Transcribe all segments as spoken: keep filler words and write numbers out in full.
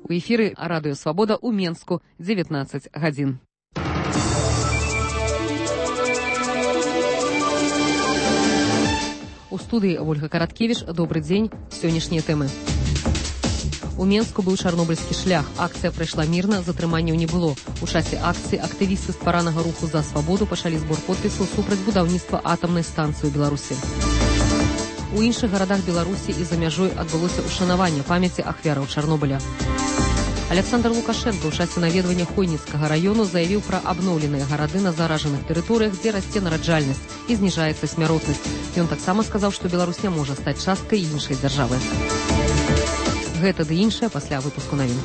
У эфіры Радыё Свабода ў Менску, дзевятнаццаць гадзін. У студыі Ольга Караткевіч. Добры дзень. Сённяшнія тэмы. У Менску быў чарнобыльскі шлях. Акцыя прайшла мірна, затрыманняў не было. У часе акцыі актывісты стваранага руху за свабоду пачалі збор подпісаў супраць будаўніцтва атамнай станцыі ў Беларусі. У іншых гарадах Беларусі і за мяжой адбылося ушанаванне памяці ахвяраў Чарнобыля. Александр Лукашенко ў часе наведвання Хойніцкага раёну заявіў пра абноўленыя гарады на заражаных тэрыторыях, дзе расце нараджальнасць і зніжаецца смяротнасць. Ён таксама сказаў, што Беларусь не можа стаць часткай іншай дзяржавы. Гэта ды іншае пасля выпуску навін.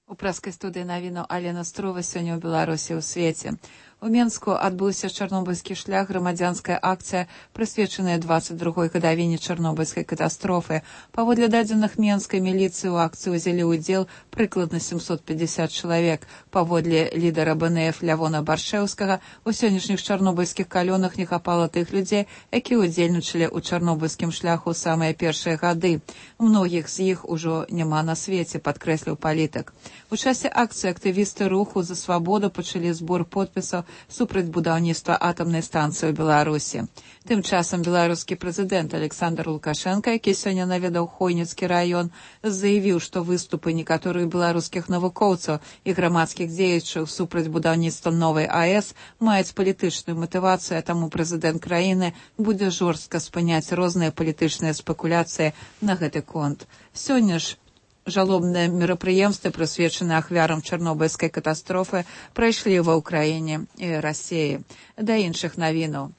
У прэскай студыі навінаў Алена Струва. Сёння ў Беларусі ў свеце. У Менску адбыўся чарнобыльскі шлях, грамадзянская акцыя, прысвечаная дваццаць другой гадавіне чарнобыльскай катастрофы. Паводле дадзеных менскай міліцыі ў акцыі ўзялі ўдзел прыкладна сямсот пятьдесят чалавек. Паводле лідара бэ эн эф Лявона Баршэўскага, у сённяшніх чарнобыльскіх калёнах не хапала тых людзей, якія ўдзельнічалі ў чарнобыльскім шляху самыя першыя гады. Многіх з іх ужо няма на свеце, падкрэсліў палітык. У часе акцыі актывісты руху за свабоду пачалі збор подпісаў супраць будаўніцтва атамнай станцыі ў Беларусі. Тым часам беларускі прэзідэнт Александр Лукашенко, які сёння наведаў Хойніцкі раён, заявіў, што выступы некаторых беларускіх навукоўцаў і грамадскіх дзеячаў супраць будаўніцтва новай АЭС маюць палітычную матывацыю, а таму прэзідэнт краіны будзе жорстка спыняць розныя палітычныя спекуляцыі на гэты конт. Сёння ж жалобныя мерапрыемствы, прысвечаныя ахвярам чарнобыльскай катастрофы, прайшлі ва ўкраіне і Расіі. Да іншых навінаў.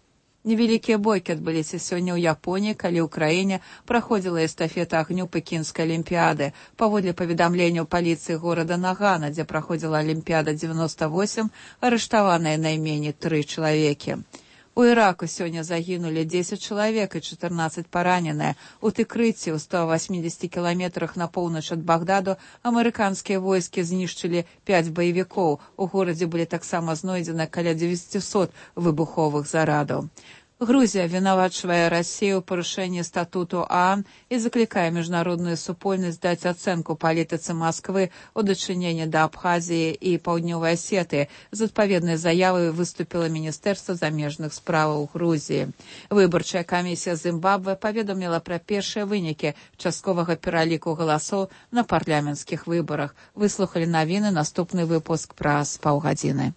Невялікія бойкі адбыліся сёння ў Японіі, калі ў краіне праходзіла эстафета агню пекінскай алімпіяды. Паводле паведамленняў паліцыі горада Нагана, дзе праходзіла алімпіяда дзевяносто восемь, арыштаваныя найменей тры чалавекі. У Іраку сёння загінулі дзесяць чалавек і чатырнаццаць параненыя. У Тыкрыці, ў ста восьмідзесяти кіламетрах на поўнач ад Багдаду, амерыканскія войскі знішчылі пяць баевікоў. У горадзе былі таксама знойдзены каля дзевяцісот выбуховых зарадаў. Грузія вінавачвае Расію ў парушэнні статуту ААН і заклікае міжнародную супольнасць даць ацэнку палітыцы Масквы ў дачыненні да Абхазіі і Паўднёвай Асетыі. З адпаведнай заявай выступіла Міністэрства замежных справаў Грузіі. Выбарчая камісія Зімбабве паведаміла пра першыя вынікі частковага пераліку галасоў на парламенцкіх выбарах. Выслухалі навіны, наступны выпуск праз паўгадзіны.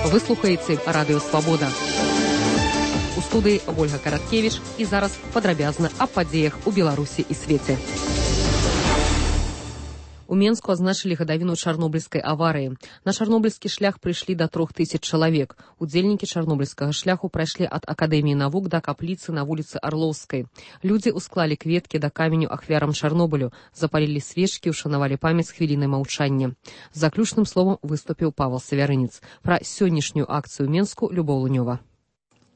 Вы слухаеце Радыё Свабода. У студыі Ольга Караткевіч і зараз падрабязна аб падзеях у Беларусі і свеце. У Менску азначылі гадавіну чарнобыльскай аварыі. На чарнобыльскі шлях прыйшлі да трох тысяч чалавек. Удзельнікі чарнобыльскага шляху прайшлі ад Акадэміі навук да капліцы на вуліцы Арлоўскай. Людзі ўсклалі кветкі да каменю ахвярам Чарнобылю, запалілі свечкі, ушанавалі памяць хвілінай маўчання. Заключным словам выступіў Павел Савярынец. Пра сённяшнюю акцыю ў Менску Любоў Лунёва.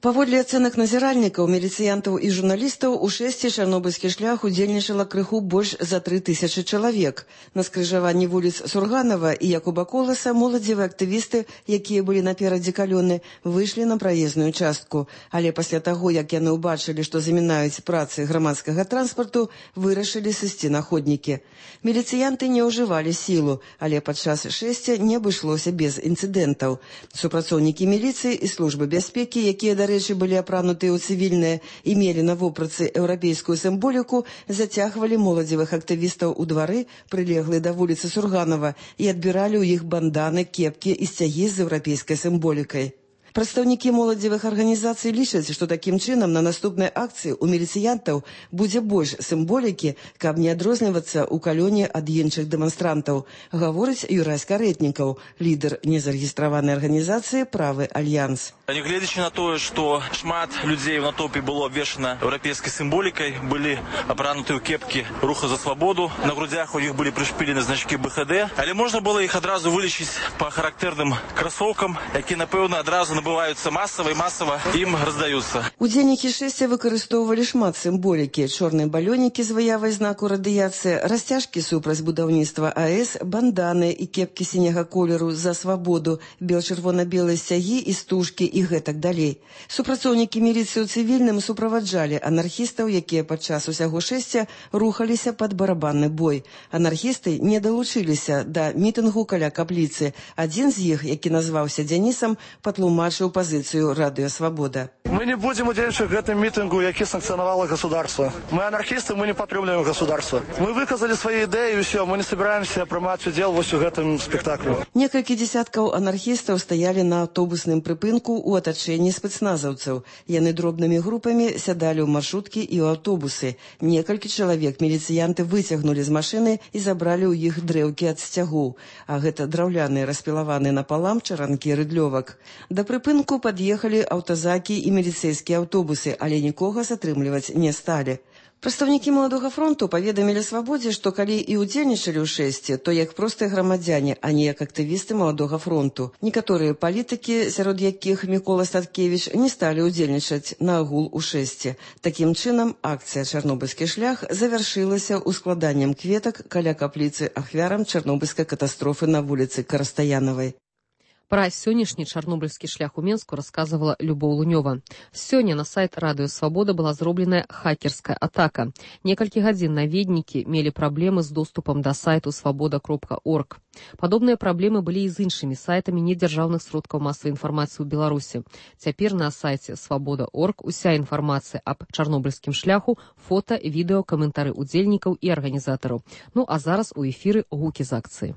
Паводле ацэнак назіральнікаў, міліцыянтаў і журналістаў, у шэсці чарнобыльскі шлях удзельнічала крыху больш за тры тысячы чалавек. На скрыжаванні вуліц Сурганова і Якуба Коласа моладзевыя актывісты, якія былі наперадзе калёны, выйшлі на праезную частку. Але пасля таго, як яны ўбачылі, што замінаюць працы грамадскага транспарту, вырашылі сысці на ходнікі. Міліцыянты не ўжывалі сілу, але падчас шэсця не абышлося без інцыдэнтаў. Супрацоўнікі міліцыі і службы бяспекі, якія, да рэчы, былі апранутыя ў цывільныя і мелі на вопратцы еўрапейскую сімволіку, зацягвалі моладзевых актывістаў у двары, прылеглыя да вуліцы Сурганова, і адбіралі ў іх банданы, кепкі і сцягі з еўрапейскай сімволікай. Прадстаўнікі моладзевых арганізацый лічаць, што такім чынам на наступнай акцыі ў міліцыянтаў будзе больш сімволікі, каб не адрознівацца ў калёне ад іншых дэманстрантаў, гаворыць Юрась Карэтнікаў, лідар незарэгістраванай арганізацыі «Правы Альянс». Нягледзячы на тое, што шмат людзей у натоўпе было абвешана еўрапейскай сімволікай, былі апрануты ў кепкі руху за свабоду, на грудзях у іх былі прышпілены значкі бэ ха дэ, але можна было іх адразу вылічыць па характэрным красоўкам, які, напэўна, адразу набываются массово и массово им раздаются. Удзельнікі шэсця выкарыстоўвалі шмат сімволікі: чорныя балёнікі з выявай знаку радыяцыі, расцяжкі супраць будаўніцтва АЭС, банданы і кепкі сіняга колеру за свабоду, бел-чырвона-белыя сцягі і стужкі і гэтак далей. Супрацоўнікі міліцыі ў цывільным суправаджалі анархістаў, якія падчас усяго шэсця рухаліся пад барабанны бой. Анархісты не далучыліся да мітынгу каля капліцы. Адзін з іх, які назваўся Дзянісам, патлумачыў пазіцыю радыё «Свабода». Мы не будем удзельнічаць в гэтым мітынгу, які санкцыянавала государство. Мы анархісты, мы не падтрымліваем государство. Мы выказалі свае ідэі і ўсё, мы не собираемся прымаць удзел вось у гэтым спектаклю. Некалькі дзесяткаў анархістаў стаялі на аўтобусным прыпынку ў атачэнні спецназаўцаў. Яны дробнымі групамі сядалі ў маршруткі і ў аўтобусы. Некалькі чалавек міліцыянты выцягнулі з машыны і забралі ў іх дрэўкі ад сцягоў. А гэта драўляныя распілаваныя напалам чаранкі рыдлёвак. Да прыпынку пад'ехалі аўтазакі і міліцэйскія аўтобусы, але нікога затрымліваць не сталі. Прадстаўнікі маладога фронту паведамілі «Свабодзе», што калі і ўдзельнічалі ў шэсці, то як простыя грамадзяне, а не як актывісты маладога фронту. Некаторыя палітыкі, сярод якіх Мікола Статкевіч, не сталі ўдзельнічаць на агул у шэсці. Такім чынам, акцыя «Чарнобыльскі шлях» завяршылася ўскладаннем кветак каля капліцы ахвярам чарнобыльскай катастрофы на вуліцы Карастаянавай. Пра сённяшні чарнобыльскі шлях у Менску расказвала Любоў Лунёва. Сёння на сайт радыё «Свабода» была зробленая хакерская атака. Некалькі гадзін наведнікі мелі праблемы з доступам да сайту свабода кропка орг. Падобныя праблемы былі і з іншымі сайтамі недзяржаўных сродкаў масавай інфармацыі ў Беларусі. Цяпер на сайце свабода кропка орг уся інфармацыя аб чарнобыльскім шляху, фота, відэо, каментары удзельнікаў і арганізатараў. Ну а зараз у эфіры гукі з акцыі.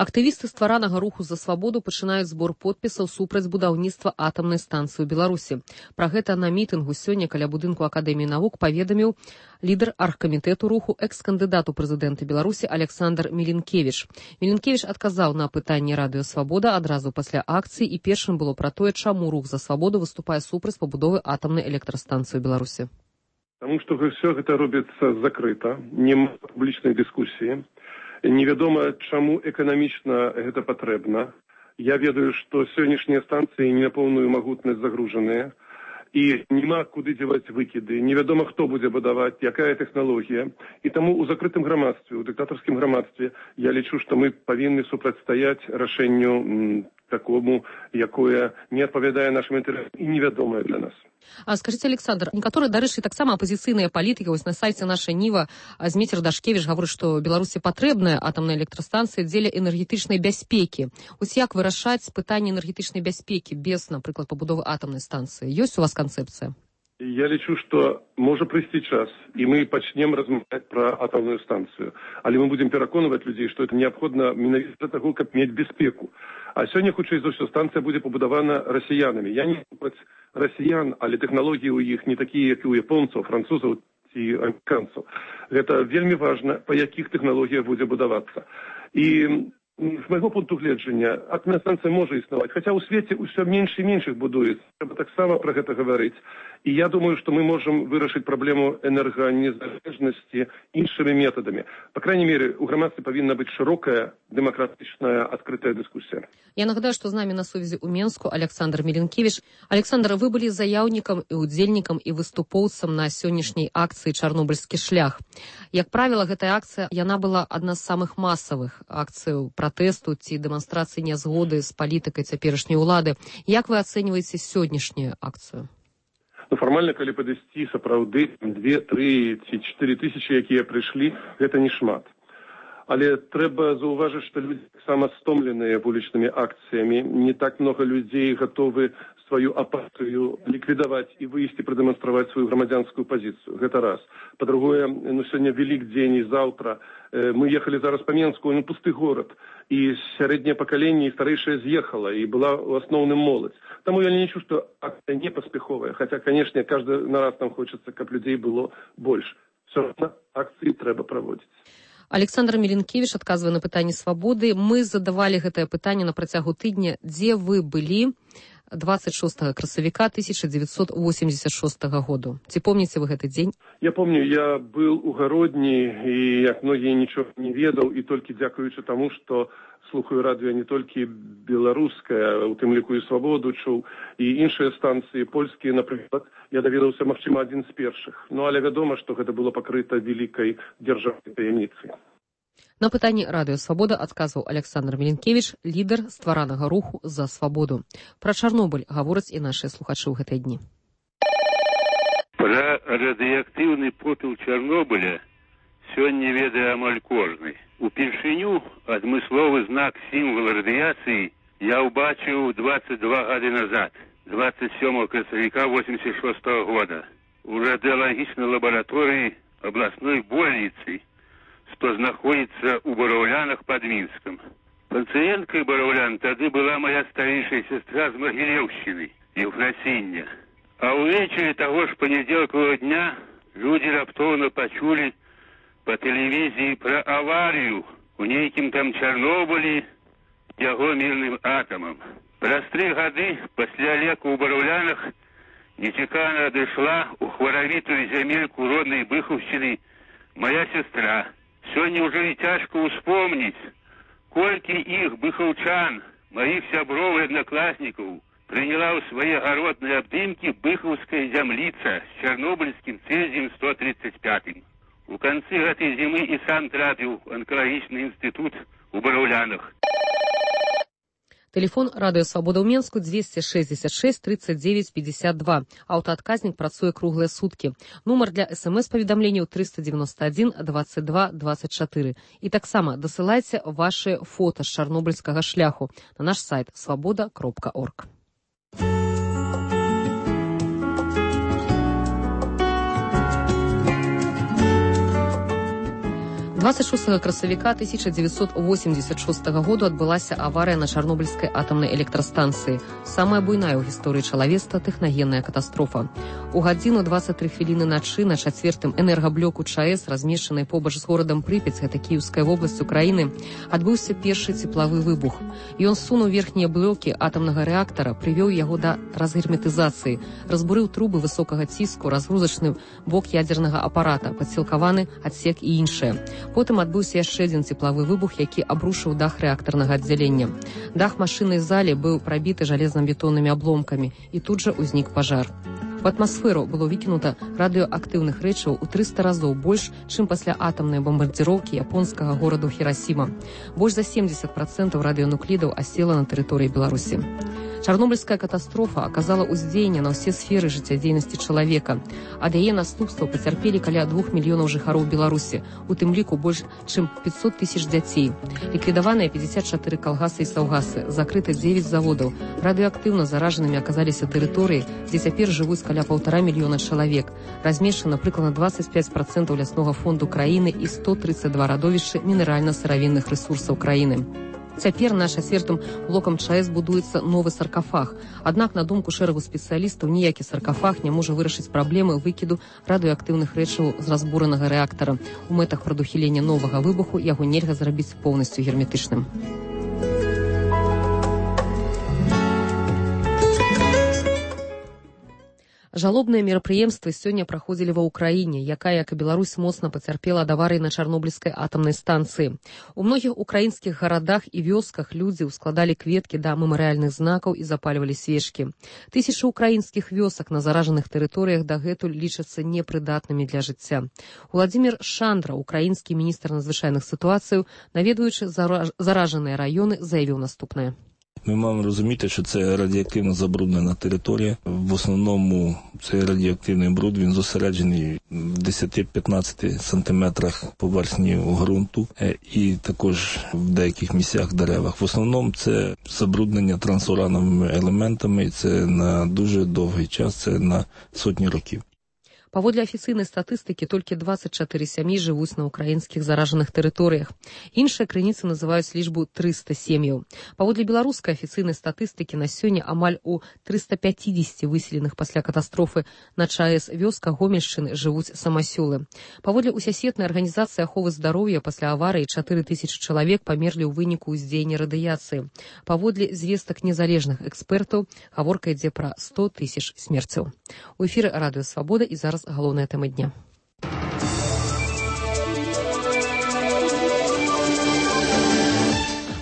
Актывісты стваранага руху за свабоду пачынаюць збор подпісаў супраць будаўніцтва атамнай станцыі ў Беларусі. Пра гэта на мітынгу сёння каля будынку Акадэміі навук паведаміў лідар аргкамітэту руху, экс-кандыдат у прэзідэнты Беларусі Александр Мілінкевіч. Мілінкевіч адказаў на пытанне радыё «Свабода» адразу пасля акцыі, і першым было пра тое, чаму рух за свабоду выступае супраць пабудовы атамнай электрастанцыі ў Беларусі. Таму што ўсё гэта робіцца закрыта, няма публічнай дыскусіі. Невядома, чаму эканамічна гэта патрэбна. Я ведаю, што сённяшнія станцыі не на поўную магутнасць загружаныя, і няма куды дзеваць выкіды. Невядома, хто будзе будаваць, якая тэхналогія. І таму ў закрытым грамадстве, у дыктатарскім грамадстве, я лічу, што мы павінны супрацьстаяць рашэнню такому, якое не адпавядае нашым інтарэсам і невядомае для нас. А скажите, Александр, некаторыя, дарэчы, таксама апозіцыйныя палітыкі, вось на сайце «Наша Ніва» Зміцер Дашкевіч гаворыць, што Беларусі патрэбная атамная электрастанцыя дзеля энергетычнай бяспекі. Вось як вырашаць пытанне энергетычнай бяспекі без, напрыклад, пабудовы атамнай станцыі? Ёсць у вас канцэпцыя? Я лічу, што можа прыйсці час, і мы пачнем размаўляць пра атамную станцыю. Але мы будзем пераконваць людзей, што это неабходна менавіта для таго, каб мець бяспеку. А сёння, хутчэй за ўсё, станцыя будзе пабудавана расіянамі. Я не супраць расіян, але тэхналогіі ў іх не такія, як і у японцаў, французаў ці амерыканцаў. Гэта вельмі важна, па якіх тэхналогіях будзе будавацца. І з майго пункту гледжання, атамная станцыя можа існаваць, хаця ў свеце ўсё менш і менш іх будуецца. Трэба таксама пра гэта гаварыць. І я думаю, што мы можам вырашыць праблему энерганезалежнасці іншымі метадамі. Па крайней мере, у грамадстве павінна быць шырокая, дэмакратычная, адкрытая дыскусія. Я нагадаю, што з намі на сувязі ў Менску Александр Мілінкевіч. Александр, вы былі заяўнікам і удзельнікам і выступоўцам на сённяшняй акцыі «Чарнобыльскі шлях». Як правіла, гэтая акцыя, яна была адна з самых масавых акцый пратэсту ці дэманстрацыі нязгоды з палітыкай цяперашняй улады. Як вы ацэньваеце сённяшнюю акцыю? Ну, фармальна, калі падысці, сапраўды, две, тры ці чатыры тысячы, якія прыйшлі, гэта не шмат. Але трэба заўважыць, што людзі таксама стомленыя вулічнымі акцыямі. Не так много людзей гатовы сваю апатыю ліквідаваць і выйсці прадэманстраваць сваю грамадзянскую пазіцыю. Гэта раз. Па-другое, ну, сёння Велікдзень і заўтра. Э, мы ехалі зараз па Менску, ну, пусты горад. І сярэдняе пакаленне і старэйшае з'ехала, і была ў асноўным моладзь. Таму я не лічу, што акцыя не паспяховая. Хаця, канешне, кожны на раз нам хочацца, каб людзей было больш. все равно акции треба проводить. Александр Меленкевич адказвае на пытанні свабоды. Мы задавалі гэтае пытанне на працягу тыдня. Дзе вы былі двадцать шестого красавіка тысяча девятьсот восемьдесят шестого году? Ці помните вы гэты дзень? Я помню, я был у Гародні, і як многие ничего не ведал, и только дзякуючы тому, что слухаю радио не только белорусское, у тым ліку і свободу чуў, і іншыя станцыі польскія, напрыклад, я даведаўся, магчыма, адзін з першых. Ну, але вядома, што гэта было пакрыта великой дзяржаўнай таямніцай. На пытанні радыё «Свабода» адказваў Александр Меленкевич, лідар стваранага руху за свабоду. Пра Чарнобыль гавораць і нашыя слухачы ў гэтыя дні. Пра радыеактыўны попел Чарнобыля сёння ведае амаль кожны. Упершыню адмысловы знак сімвал радыяцыі я ўбачыў двадцать два гады назад, двадцать сёмого красавіка восемьдесят шестого года, у радыялагічнай лабараторыі абласной больніцы, што знаходзіцца ў Бараўлянах пад Мінскам. Пацыенткай Бараўлян тады была моя старейшая сестра з Магілеўшчыны, Еўфрасіння. А ўвечары таго ж панядзелкавага дня людзі раптоўна пачулі па тэлевізіі пра аварыю у нейкім там Чарнобылі яго мірным атамам. Праз тры гады пасля леку ў Бараўлянах нечакана адышла ў хваравітую зямельку роднай Быхаўшчыны моя сестра. Сёння ўжо і цяжка ўспомніць, колькі іх быхаўчан, маіх сяброў і аднакласнікаў, прыняла ў свае гаротныя абдымкі быхаўская зямліца з чарнобыльскім цэзіем сто тридцать пятым. У канцы гэтай зімы і сам трапіў у анкалагічны інстытут у Бараўлянах. Телефон радыё «Свабода» ў Менску двести шестьдесят шесть тридцать девять пятьдесят два. Аўтаадказнік працуе круглыя суткі. Нумар для смс-паведамленняў триста девяносто один двадцать два двадцать четыре. І таксама дасылайце ваши фота з чарнобыльскага шляху на наш сайт свабода кропка орг. двадцать шестого красавіка тысяча девятьсот восемьдесят шестого году адбылася аварыя на Чарнобыльскай атамнай электрастанцыі. Самая буйная ў гісторыі чалавецтва тэхнагенная катастрофа. У гадзіну двадцать три хвіліны начы на чацвертым энергаблоку ЧАЭС, размешчанай побач з горадам Прыпяць, гэта Кіеўская вобласць Украіны, адбыўся першы цеплавы выбух. Ён сунуў верхнія блокі атамнага рэактара, прывёў яго да разгерметызацыі, разбурыў трубы высокага ціску, разгрузачны бок ядзернага апарата, падсілкаваны адсек і іншае. Потым адбыўся яшчэ адзін цеплавы выбух, які абрушыў дах рэактарнага аддзялення. Дах машыннай залі быў прабіты жалезна-бетоннымі абломкамі, і тут жа ўзнік пажар. У атмасферу было выкінута радыёактыўных рэчываў у трыста разоў больш, чым пасля атамнай бамбардзіроўкі японскага гораду Хірасіма. Больш за семьдесят процентов радыёнуклідаў асела на тэрыторыі Беларусі. Чарнобыльская катастрофа аказала ўздзеянне на ўсе сферы жыццядзейнасці чалавека. Ад яе наступстваў пацярпелі каля двух мільёнаў жыхароў Беларусі, у тым ліку больш чым пятьсот тысяч дзяцей. Ліквідаваныя пятьдесят четыре калгасы і саўгасы, закрыта девять заводаў. Радыёактыўна заражанымі аказаліся тэрыторыі, дзе цяпер жывуць каля паўтара мільёна чалавек. Размешчана прыкладна двадцать пять процентов ляснога фонду краіны і сто тридцать два радовішчы мінеральна-сыравінных рэсурсаў краіны. Цяпер на чацвертым блокам ЧАЭС будуецца новы саркафаг. Аднак, на думку шэрагу спецыялістаў, ніякі саркафаг не можа вырашыць праблемы выкіду радыёактыўных рэчываў з разбуранага рэактара. У мэтах прадухілення новага выбуху яго нельга зрабіць поўнасцю герметычным. Жалобныя мерапрыемствы сёння праходзілі ва ўкраіне, якая, як і Беларусь, моцна пацярпела ад аварыі на Чарнобыльскай атамнай станцыі. У многіх украінскіх гарадах і вёсках людзі ўскладалі кветкі да мемарыяльных знакаў і запальвалі свечкі. Тысячы украінскіх вёсак на заражаных тэрыторыях дагэтуль лічацца непрыдатнымі для жыцця. Уладзімір Шандра, украінскі міністр надзвычайных сітуацыяў, наведваючы заражаныя раёны, заявіў наступнае. Ми маємо розуміти, що це радіоактивно забруднена територія. В основному цей радіоактивний бруд, він зосереджений в десять-п'ятнадцять сантиметрах поверхні ґрунту і також в деяких місцях деревах. В основному це забруднення трансурановими елементами, і це на дуже довгий час, це на сотні років. Паводле афіцыйнай статыстыкі, толькі дваццаць чатыры сям'і жывуць на ўкраінскіх заражаных тэрыторыях. Іншыя крыніцы называюць лічбу трыста сем'яў. Паводле беларускай афіцыйнай статыстыкі, на сёння амаль у трыста пяцьдзесят выселеных пасля катастрофы на ЧАЭС вёсках Гомельшчыны жывуць самасёлы. Паводле усесветнай арганізацыі аховы здароўя, пасля аварыі чатыры тысячы чалавек памерлі ў выніку ўздзеяння радыяцыі. Паводле звестак незалежных экспертаў, гаворка ідзе пра сто тысяч смерцяў. У эфіры Радыё Свабода і зараз галоўная тэма дня.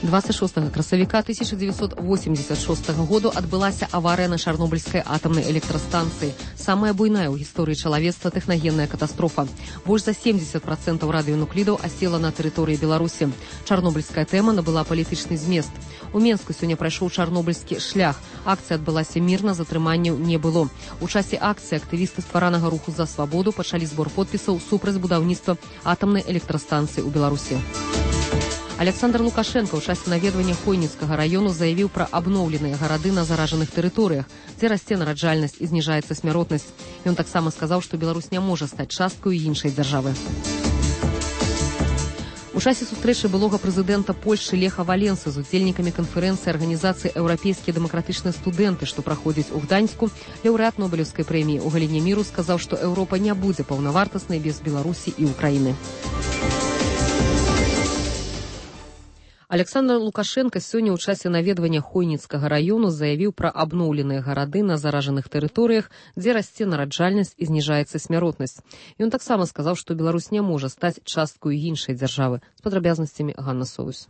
двадцать шостага красавіка тысяча девятьсот восемьдесят шостага году адбылася аварыя на Чарнобыльскай атамнай электрастанцыі. Самая буйная ў гісторыі чалавецтва тэхнагенная катастрофа. Больш за семьдесят процентаў радыёнуклідаў асела на тэрыторыі Беларусі. Чарнобыльская тэма набыла палітычны змест. У Менску сёння прайшоў чарнобыльскі шлях. Акцыя адбылася мірна, затрыманняў не было. У часе акцыі актывісты стваранага руху за свабоду пачалі збор подпісаў супраць будаўніцтва атамнай электрастанцыі ў Беларусі. Александр Лукашенко ў часе наведвання Хойніцкага раёну заявіў пра абноўленыя гарады на заражаных тэрыторыях, дзе расце нараджальнасць і зніжаецца смяротнасць. Ён таксама сказаў, што Беларусь не можа стаць часткаю іншай дзяржавы. У часе сустрэчы былога прэзідэнта Польшчы Леха Валенсы з удзельнікамі канферэнцыі арганізацыі «Еўрапейскія дэмакратычныя студэнты», што праходзіць у Гданьску, лаўрэат Нобелеўскай прэміі ў галіне міру сказаў, што Еўропа не будзе паўнавартаснай без Беларусі і Украіны. Александр Лукашенко сёння ў часе наведвання Хойніцкага раёну заявіў пра абноўленыя гарады на заражаных тэрыторыях, дзе расце нараджальнасць і зніжаецца смяротнасць. Ён таксама сказаў, што Беларусь не можа стаць часткаю іншай дзяржавы. З падрабязнасцямі Ганна Соус.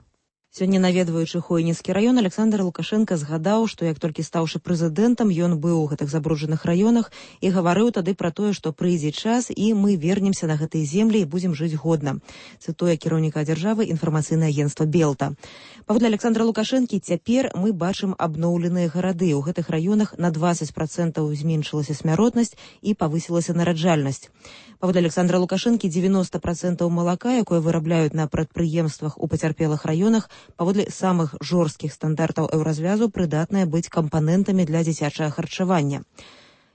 Сёння, наведваючы Хойніцкі раён, Александр Лукашенко згадаў, што як толькі стаўшы прэзідэнтам, ён быў у гэтых забруджаных раёнах і гаварыў тады пра тое, што прыйдзе час і мы вернемся на гэтыя землі і будзем жыць годна. Цытуе кіраўніка дзяржавы інфармацыйнае агенцтва Белта. Паводле Александра Лукашэнкі, цяпер мы бачым абноўленыя гарады. У гэтых раёнах на двадцать процентаў зменшылася смяротнасць і павысілася нараджальнасць. Паводле Александра Лукашэнкі, девяносто процентов малака, якое вырабляюць на прадпрыемствах у пацярпелых раёнах, паводле самых жорсткіх стандартаў еўразвязу прыдатныя быць кампанентамі для дзіцячага харчавання.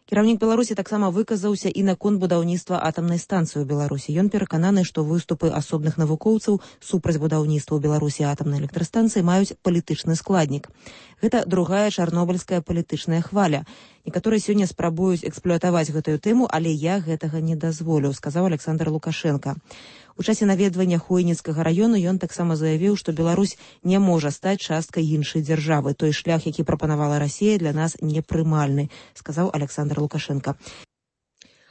Кіраўнік Беларусі таксама выказаўся і наконт будаўніцтва атамнай станцыі ў Беларусі. Ён перакананы, што выступы асобных навукоўцаў супраць будаўніцтва ў Беларусі атамнай электрастанцыі маюць палітычны складнік. Гэта другая чарнобыльская палітычная хваля. Некаторыя сёння спрабуюць эксплуатаваць гэтую тэму, але я гэтага не дазволю, сказаў Александр Лукашенко. У часе наведвання Хойніцкага раёну ён таксама заявіў, што Беларусь не можа стаць часткай іншай дзяржавы. Той шлях, які прапанавала Расія, для нас непрымальны, сказаў Александр Лукашенко.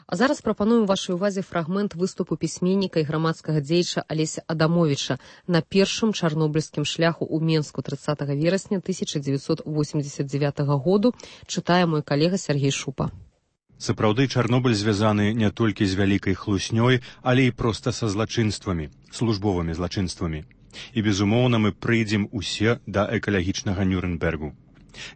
А зараз прапануем вашай увазе фрагмент выступу пісьменніка і грамадскага дзеяча Алеся Адамовіча на першым чарнобыльскім шляху ў Менску тридцатого верасня тысяча девятьсот восемьдесят девятого году, чытае мой калега Сергей Шупа. Сапраўды, Чарнобыль звязаны не толькі з вялікай хлуснёй, але і проста са злачынствамі, службовымі злачынствамі. І, безумоўна, мы прыйдзем усе да экалагічнага Нюрнбергу.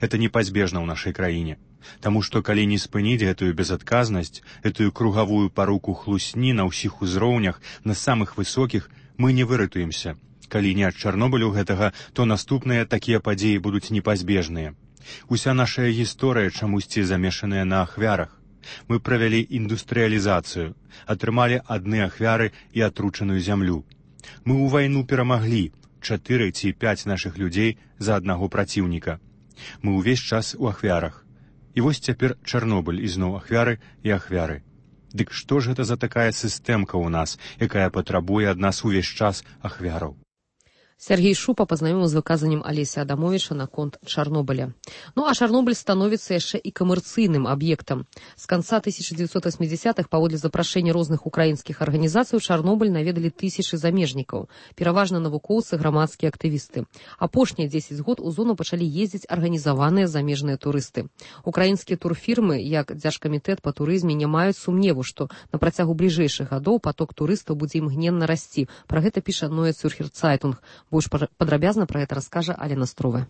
Это непазбежна ў нашай краіне. Таму што калі не спыніць гэтую безадказнасць, гэтую кругавую паруку хлусні на ўсіх узроўнях, на самых высокіх, мы не выратуемся. Калі не ад Чарнобылю гэтага, то наступныя такія падзеі будуць непазбежныя. Уся наша гісторыя чамусьці замешаная на ахвярах. Мы правялі індустрыялізацыю, атрымалі адны ахвяры і атручаную зямлю. Мы ў вайну перамаглі чатыры ці пяць нашых людзей за аднаго праціўніка. Мы ўвесь час у ахвярах. І вось цяпер Чарнобыль ізноў ахвяры і ахвяры. Дык што ж гэта за такая сістэмка ў нас, якая патрабуе ад нас увесь час ахвяраў? Сергей Шупа пазнаёміў з выказаннем Алеся Адамовіча наконт Чарнобыля. Ну а Чарнобыль становіцца яшчэ і камерцыйным аб'ектам. З канца тысяча девятьсот восьмидесятых паводле запрашэння розных украінскіх арганізацый Чарнобыль наведалі тысячы замежнікаў, пераважна навукоўцы, грамадскія актывісты. Апошнія дзесяць год у зону пачалі ездзіць арганізаваныя замежныя турысты. Украінскія турфірмы, як Дзяржкамітэт па турызме, не маюць сумневу, што на працягу бліжэйшых гадоў поток турыстаў будзе імгненна расці. Пра гэта піша Neue Zürcher Zeitung. Больш падрабязна пра гэта раскажа Алена Строва.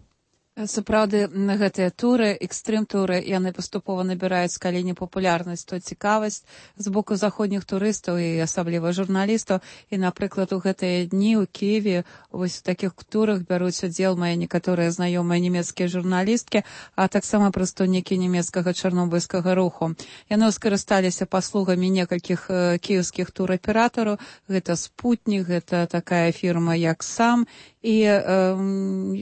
Сапраўды, гэтыя туры, экстрым-туры, яны паступова набіраюць калі не папулярнасць, то цікавасць з боку заходніх турыстаў і асабліва журналістаў. І, напрыклад, у гэтыя дні ў Киеве вось у такіх турах бяруць удзел мае некаторыя знаёмыя нямецкія журналісткі, а таксама прадстаўнікі нямецкага чарнобыльскага руху. Яны скарысталіся паслугамі некалькіх э, кіеўскіх тураператараў. Гэта «Спутнік», гэта такая фірма, як «Сам». І э,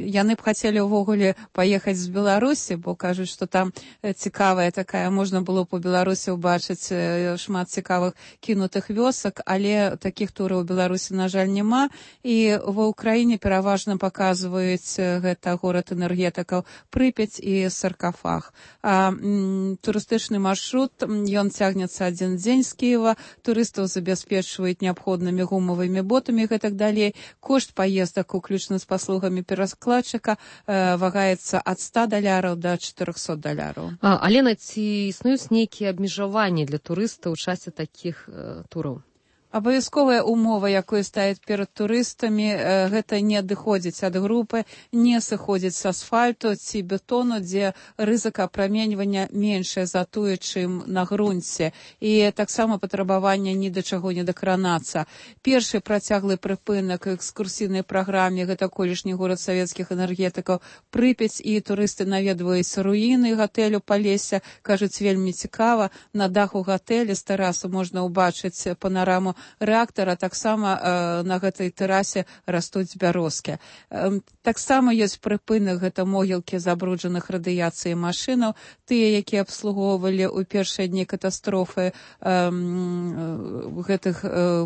яны б хацелі ўвогуле паехаць з Беларусі, бо кажуць, што там цікавая такая, можна было б у Беларусі ўбачыць шмат цікавых кінутых вёсак, але такіх тураў у Беларусі, на жаль, няма. І ва ўкраіне пераважна паказваюць гэта горад энергетыкаў Прыпяць і Саркафаг. А м, турыстычны маршрут, ён цягнецца адзін дзень з Кіева, турыстаў забяспечваюць неабходнымі гумавымі ботамі і гэтак далей. Кошт паездак у уключна з паслугамі перакладчыка э, вагаецца ад ста даляраў да чатырохсот даляраў. А, Алена, ці існуюць нейкія абмежаванні для турыстаў у часе такіх э, тураў? Абавязковая умова, якую ставяць перад турыстамі, гэта не адыходзіць ад групы, не сыходзіць з асфальту ці бетону, дзе рызыка апраменьвання меншая за тое, чым на грунце. І таксама патрабаванне ні да чаго не дакранацца. Першы працяглы прыпынак экскурсійнай праграме — гэта колішні горад савецкіх энергетыкаў Прыпяць, і турысты наведваюць руіны гатэлю Палесся, кажуць, вельмі цікава. На даху гатэлі з тэрасы можна ўбачыць панараму рэактара, таксама э, на гэтай тэрасе растуць бярозкі. Э, таксама ёсць прыпынак, гэта могілкі забруджаных радыяцыяй машынаў, тыя, якія абслугоўвалі ў першыя дні катастрофы э, гэтых э,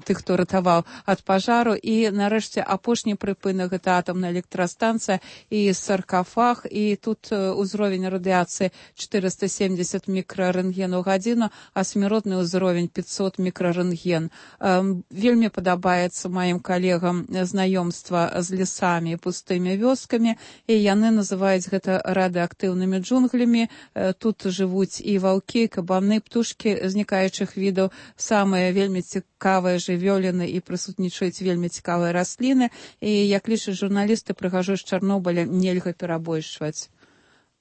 тых, хто ратаваў ад пажару. І нарэшце апошні прыпынак — гэта атамная электрастанцыя і Саркафаг, і тут узровень радыяцыі чатырыста семдзесят мікрарэнтген у гадзіну, а смяротны ўзровень пятьсот мікрарэнтген. Вельмі падабаецца маім калегам знаёмства з лесамі і пустымі вёскамі, і яны называюць гэта радыеактыўнымі джунглямі. Тут жывуць і ваўкі, кабаны, птушкі знікаючых відаў, самыя вельмі цікавыя жывёліны, і прысутнічаюць вельмі цікавыя расліны. І, як лічаць журналісты, прыгажосць Чарнобыля нельга перабольшваць.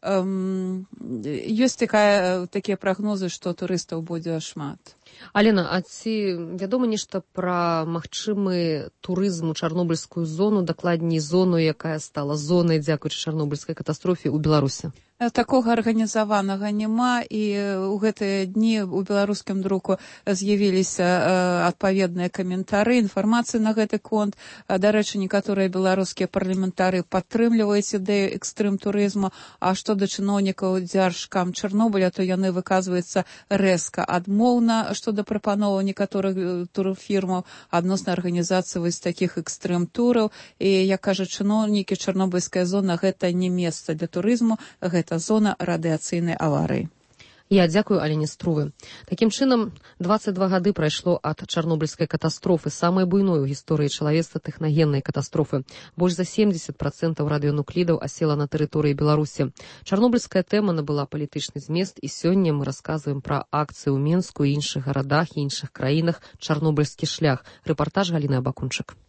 Эм, ёсць такая, такія прагнозы, што турыстаў будзе шмат. Алена, а ці вядома нешта пра магчымы турызм у чарнобыльскую зону, дакладней зону, якая стала зонай дзякуючы чарнобыльскай катастрофе ў Беларусі? Такога арганізаванага няма, і ў гэтыя дні у беларускім друку з'явіліся адпаведныя каментары, інфармацыі на гэты конт. Дарэчы, некаторыя беларускія парламентары падтрымліваюць ідэю экстрым-турызму, а што да чыноўнікаў дзяржкам Чарнобыля, то яны выказваюцца рэзка адмоўна што да прапановаў некаторых турфірмаў адносна арганізацыі вось такіх экстрым-тураў. І, як кажуць чыноўнікі, чарнобыльская зона — гэта не месца для турызму, гэта это зона радыацыйнай аварыі. Я дзякую Алене Струве. Такім чынам, дваццаць два гады прайшло ад чарнобыльскай катастрофы, самай буйной у гісторыі чалавецтва тэхнагеннай катастрофы. Больш за семдзесят працэнтаў радыенуклідаў асела на тэрыторыі Беларусі. Чарнобыльская тэма набыла палітычны змест, і сёння мы расказваем пра акцыю ў Менску і іншых гарадах і іншых краінах «Чарнобыльскі шлях». Рэпартаж Галіны Абакунчык.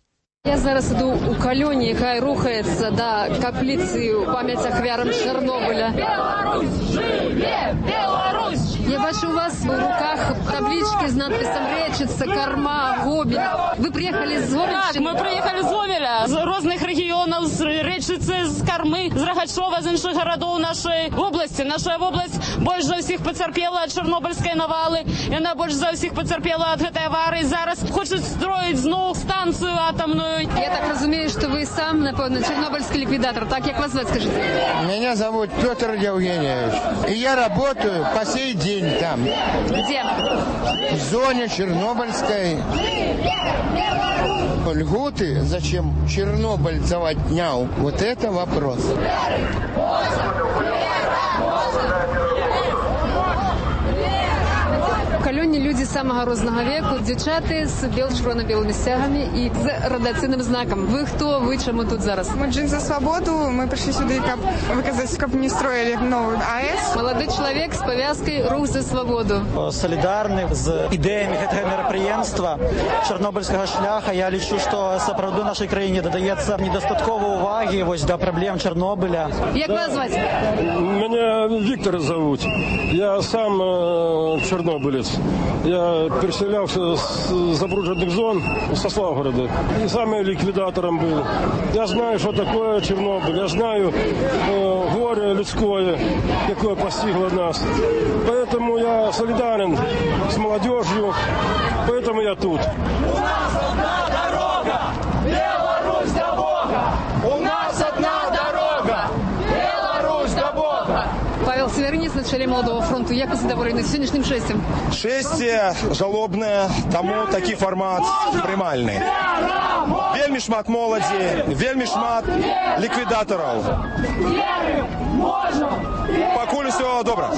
Я зараз іду у калёне, якая рухаецца да капліцы ў памяць ахвярам Чарнобыля. Беларусь! Жыве! Беларусь! Я бачу у вас в руках таблички с надписом «Речица», «Корма», «Гомель». Вы приехали з Гомеля? Так, мы приехали з Гомеля, з розных регионов, з Речицы, з Кормы, з Рогачова, з іншых городов нашей области. Наша область больше за всех потерпела от Чернобыльской навалы, и она больше за всех потерпела от этой аварии. Зараз хочет строить знову станцию атомную. Я так разумею, что вы сам, напевно, чернобыльский ликвидатор. Так, как вас звать, скажите? Меня зовут Петр Евгеньевич. И я работаю по сей день там. Где? В зоне Чернобыльской. Льготы, зачем чернобыльцев отнял? Вот это вопрос. Калёне люди самого рознага веку, дзівчаты з бел-чырвона-белымі сцягамі і з радыацыйным знаком. Вы хто, вы чаму тут зараз? Мы Джин за свободу, мы пришли сюда, каб выказать, каб не строили новую АЭС. Молодой человек с повязкой «Рух за свободу». Солидарны з ідеями гэтага мерапрыемства чарнобыльскага шляха. Я лічу, што сапраўды нашай краіне дадаецца недастаткова увагі вось да праблем Чарнобыля. Як вас зваць? Меня Виктор зовут. Я сам э, чернобылец. Я переселялся с забрудженных зон, со Славгорода. И сам я ликвидатором был. Я знаю, что такое Чернобыль. Я знаю э, горе людское, какое постигло нас. Поэтому я солидарен с молодежью. Поэтому я тут. У нас одна дорога, Беларусь до Бога. У нас одна дорога, Беларусь до Бога. Павел Северинец, на чоле Молодого фронту. Як ви задоволені сьогоднішнім шестям? Шесте жалобне, тому такий формат приймальний. Вельмі шмат моладзі, вельмі шмат ліквідаторів. Пакуль усё добра.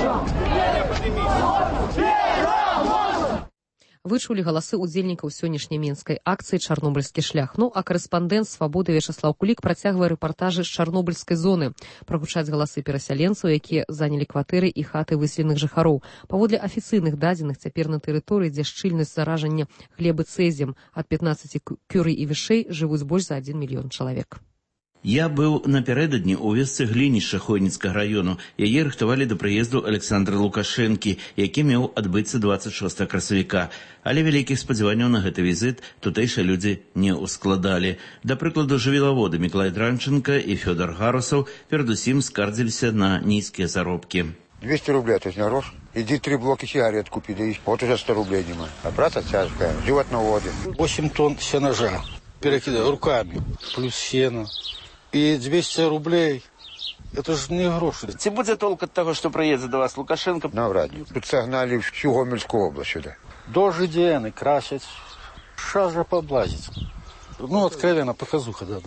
Вы чулі галасы ўдзельнікаў сённяшняй мінскай акцыі «Чарнобыльскі шлях». Ну, а карэспандэнт «Свабоды» Вячаслаў Кулік працягвае рэпартажы з чарнобыльскай зоны. Прагучаць галасы перасяленцаў, якія занялі кватэры і хаты выселеных жыхароў. Паводле афіцыйных дадзеных, цяпер на тэрыторыі, дзе шчыльнасць заражання глебы цэзіем ад пятнаццаці кюрый і вышэй, жывуць больш за адзін мільён чалавек. Я быў напярэдадні ў вёсцы Глінішча Хойніцкага раёну. Яе рыхтавалі да прыезду Александра Лукашэнкі, які меў адбыцца дваццаць шостага красавіка. Але вялікіх спадзяванняў на гэты візіт тутэйшыя людзі не ўскладалі. Да прыкладу, жывілаводы Мікалай Дранченка і Фёдор Гарусаў перадусім скардзіліся на нізкія заробкі. двести рублей, то есть на грош. Иди три блоки сигарет купи, да и вот уже сто рублей нема. А праца тяжкая, животноводы. восемь тонн сенажа. Перекидаю руками, плюс сено. И двести рублей, это же не гроши. Ці будзе толк ад таго, што прыедзе да вас Лукашенко? Навряд ли. Тут согнали всю Гомельскую область сюда. Дожи дены, красять, шажа поблазить. Ну, откровенно, показуха, да.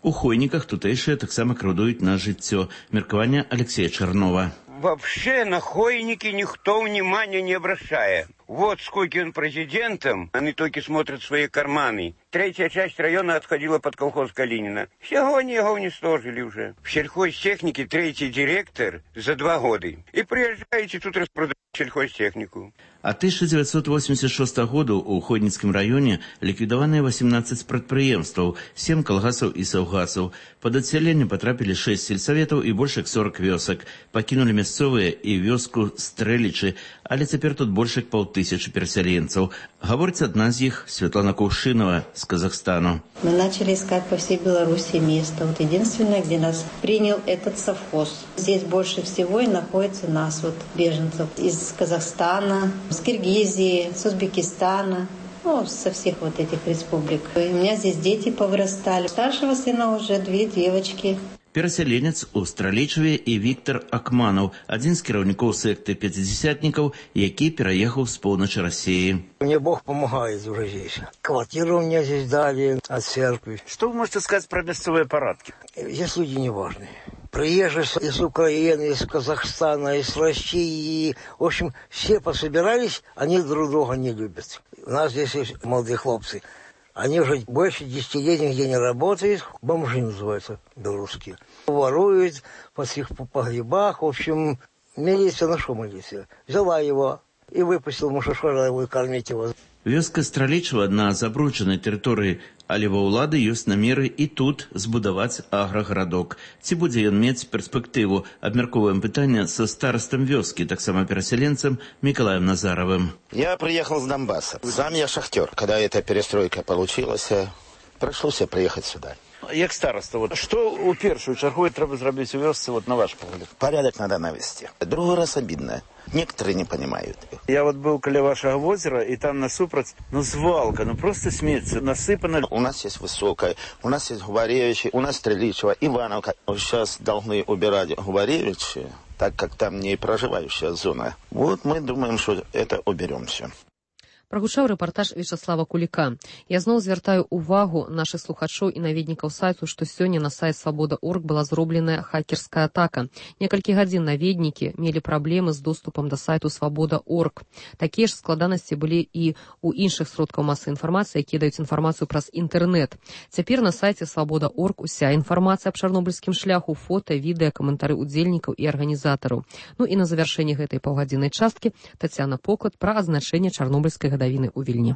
У Хойніках тутэйшыя таксама крыўдуюць на жыццё. Меркаванне Алексея Чернова. Вообще на Хойники никто внимания не обращает. Вот сколько он президентом, они только смотрят свои карманы. Третья часть района отходила под колхоз Калинина. Всего они его уничтожили уже. В сельхозтехнике третий директор за два года. И приезжаете тут распродать сельхозтехнику. А тысяча девятьсот восемьдесят шостого года у Хойніцкім раёне ліквідаваныя восемнадцать прадпрыемстваў, семь калгасаў і саўгасаў. Пад адсяленне потрапілі шесть сельсаветаў і больш як сорок вёсак. Пакінулі мясцовыя і вёску Стрэлічы, але цяпер тут больш як паўтысячы перасяленцаў. Гаворыць адна з іх Светлана Кувшинова с Казахстану. Мы начали искать по всей Беларуси место. Вот единственное, где нас принял этот совхоз. Здесь больше всего и находится нас, вот, беженцев из Казахстана, с Киргизии, с Узбекистана, ну, со всех вот этих республик. И у меня здесь дети повырастали. Старшего сына уже две девочки. Перасяленец у Стралічаве і Віктор Акманаў, адзін з кіраўнікоў секты пятидесятников, які переехал с поўначы России. Мне Бог помогает уже здесь. Квартиру мне здесь дали от церкви. Что вы можете сказать про мясцовые парадки? Здесь люди неважные. Приезжие из Украины, из Казахстана, из России. В общем, все пособирались, они друг друга не любят. У нас здесь есть молодые хлопцы. Они уже больше десяти лет нигде не работают. Бомжи называются белорусские. Воруют по всех погребах. В общем, милиция, на что милиция? Взяла его и выпустила мушашора кормить его. Вёска Стралічава на забруджанай тэрыторыі, але ва ўлады ёсць намеры і тут збудаваць аграгарадок. Ці будзе ён мець перспектыву? Абмяркоўваем пытанне са старастам вёскі, таксама перасяленцам Миколаем Назаровым. Я приехал с Донбасса. Сам я шахтер. Когда эта перестройка получилась, пришлось приехать сюда. Як староста, вот, что у першую чергу треба зробити у вёсцы, вот, на ваш погляд? Порядок надо навести. Другой раз обидно. Некоторые не понимают. Я вот был около вашего озера, и там насупроть, ну, свалка, ну, просто смеется, насыпано. У нас есть Высокая, у нас есть Губаревичи, у нас Стреличева, Ивановка. Сейчас должны убирать Губаревичи, так как там не проживающая зона. Вот мы думаем, что это уберем все. Прагучаў рэпартаж Вячаслава Куліка. Я зноў звяртаю ўвагу нашых слухачоў і наведнікаў сайту, што сёння на сайт свабода точка орг была зробленая хакерская атака. Некалькі гадзін наведнікі мелі праблемы з доступам да сайту свабода точка орг. Такія ж складанасці былі і ў іншых сродкаў масавай інфармацыі, якія даюць інфармацыю праз інтэрнэт. Цяпер на сайце свабода точка орг уся інфармацыя аб чарнобыльскім шляху, фота, відэа, каментары ўдзельнікаў і арганізатараў. Ну і на завяршэнне гэтай паўгадзіннай часткі Тацяна Поклад пра азначэнне чарнобыльскай гадавіны ў Вільні.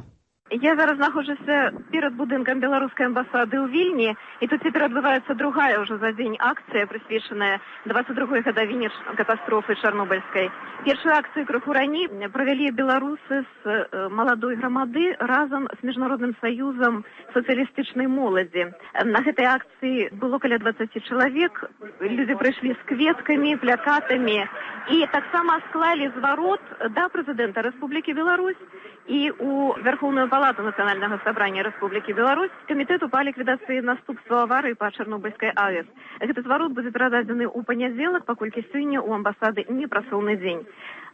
Я зараз знаходжуся перад будынкам беларускай амбасады ў Вільні, і тут цяпер адбываецца другая ўжо за дзень акцыя, прысвечаная дваццаць другой гадавіне катастрофы чарнобыльскай. Першую акцыю крыху раней правялі беларусы з маладой грамады разам з міжнародным саюзам сацыялістычнай моладзі. На гэтай акцыі было каля дваццаць чалавек, людзі прыйшлі з кветкамі, плакатамі і таксама склалі зварот да прэзідэнта Рэспублікі Беларусь і у Верховную палату Нацыянальнага сабрання Рэспублікі Беларусь камітэту па ліквідацыі наступстваў аварыі па Чарнобыльскай АЭС. Гэты зварот будзе перададзены ў панядзелак, паколькі сёння ў амбасады не працоўны дзень.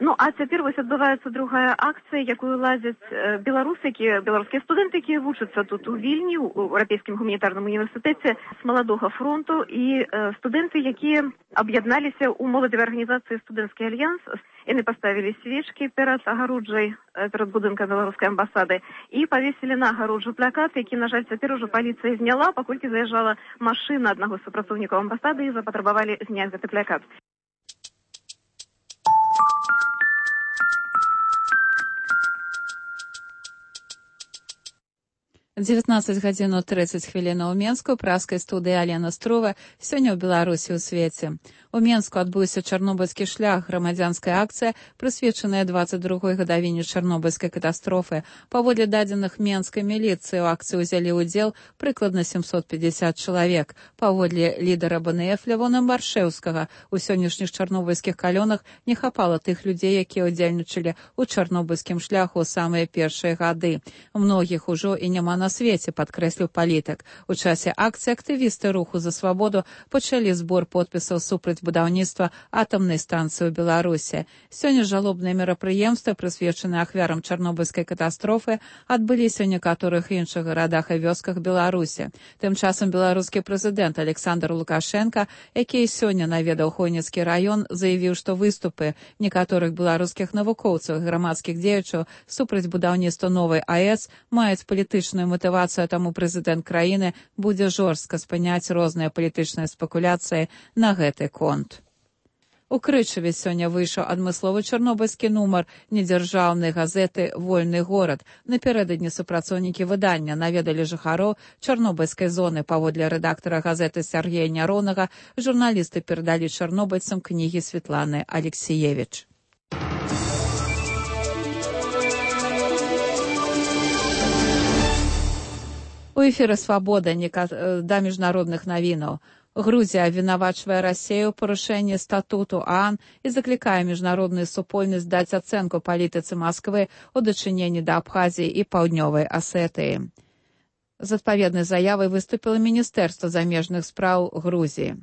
Ну, а цяпер вось адбываецца другая акцыя, якую ладзяць беларусы, якія, беларускія студэнты, якія вучацца тут у Вільні, у Еўрапейскім гуманітарным універсітэце з маладога фронту, і э, студэнты, якія аб'ядналіся ў моладзевай арганізацыі «Студэнцкі альянс». Яны паставілі свечкі перад агароджай, перад будынкам беларускай амбасады і павесілі на агароджу плакат, які, на жаль, цяпер ужо паліцыя зняла, паколькі заязджала машына аднаго з супрацоўнікаў амбасады і запатрабавалі зняць гэты плакат. дзевятнаццаць гадзін трыццаць хвілін у Менску, праскай студыі Алена Строва, сёння ў Беларусі ў свеце. У Менску адбыўся чарнобыльскі шлях, грамадзянская акцыя, прысвечаная дваццаць другой гадавіне чарнобыльскай катастрофы. Паводле дадзеных менскай міліцыі, у акцыі ўзялі ўдзел прыкладна сямсот пятьдесят чалавек. Паводле лідара бэ эн эф Лявона Маршэўскага, у сённяшніх чарнобыльскіх калёнах не хапала тых людзей, якія ўдзельнічалі ў чарнобыльскім шляху ў самыя першыя гады. Многіх ужо і няма на свеце, падкрэсліў палітык. У часе акцыі актывісты руху за свабоду пачалі збор подпісаў супраць будаўніцтва атамнай станцыі ў Беларусі. Сёння жалобныя мерапрыемствы, прысвечаныя ахвярам чарнобыльскай катастрофы, адбыліся ў некаторых іншых гарадах і вёсках Беларусі. Тым часам беларускі прэзідэнт Александр Лукашенко, які сёння наведаў Хойніцкі раён, заявіў, што выступы некаторых беларускіх навукоўцаў і грамадскіх дзеячаў супраць будаўніцтва новай АЭС маюць палітычную матывацыю, таму прэзідэнт краіны будзе жорстка спыняць розныя палітычныя спекуляцыі на гэты конт. У Крычаве сёння выйшаў адмысловы чарнобыльскі нумар недзяржаўнай газеты «Вольны горад». Напярэдадні супрацоўнікі выдання наведалі жыхароў чарнобыльскай зоны. Паводле рэдактара газеты Сергея Няронага, журналісты перадалі чарнобыльцам кнігі Светланы Алексіевіч. У эфіры «Свабода» да міжнародных навінаў. Грузія абвінавачвае Расію ў парушэнні статуту ААН і заклікае міжнародную супольнасць даць ацэнку палітыцы Масквы ў дачыненні да Абхазіі і Паўднёвай Асетыі. З адпаведнай заявай выступіла Міністэрства замежных спраў Грузіі.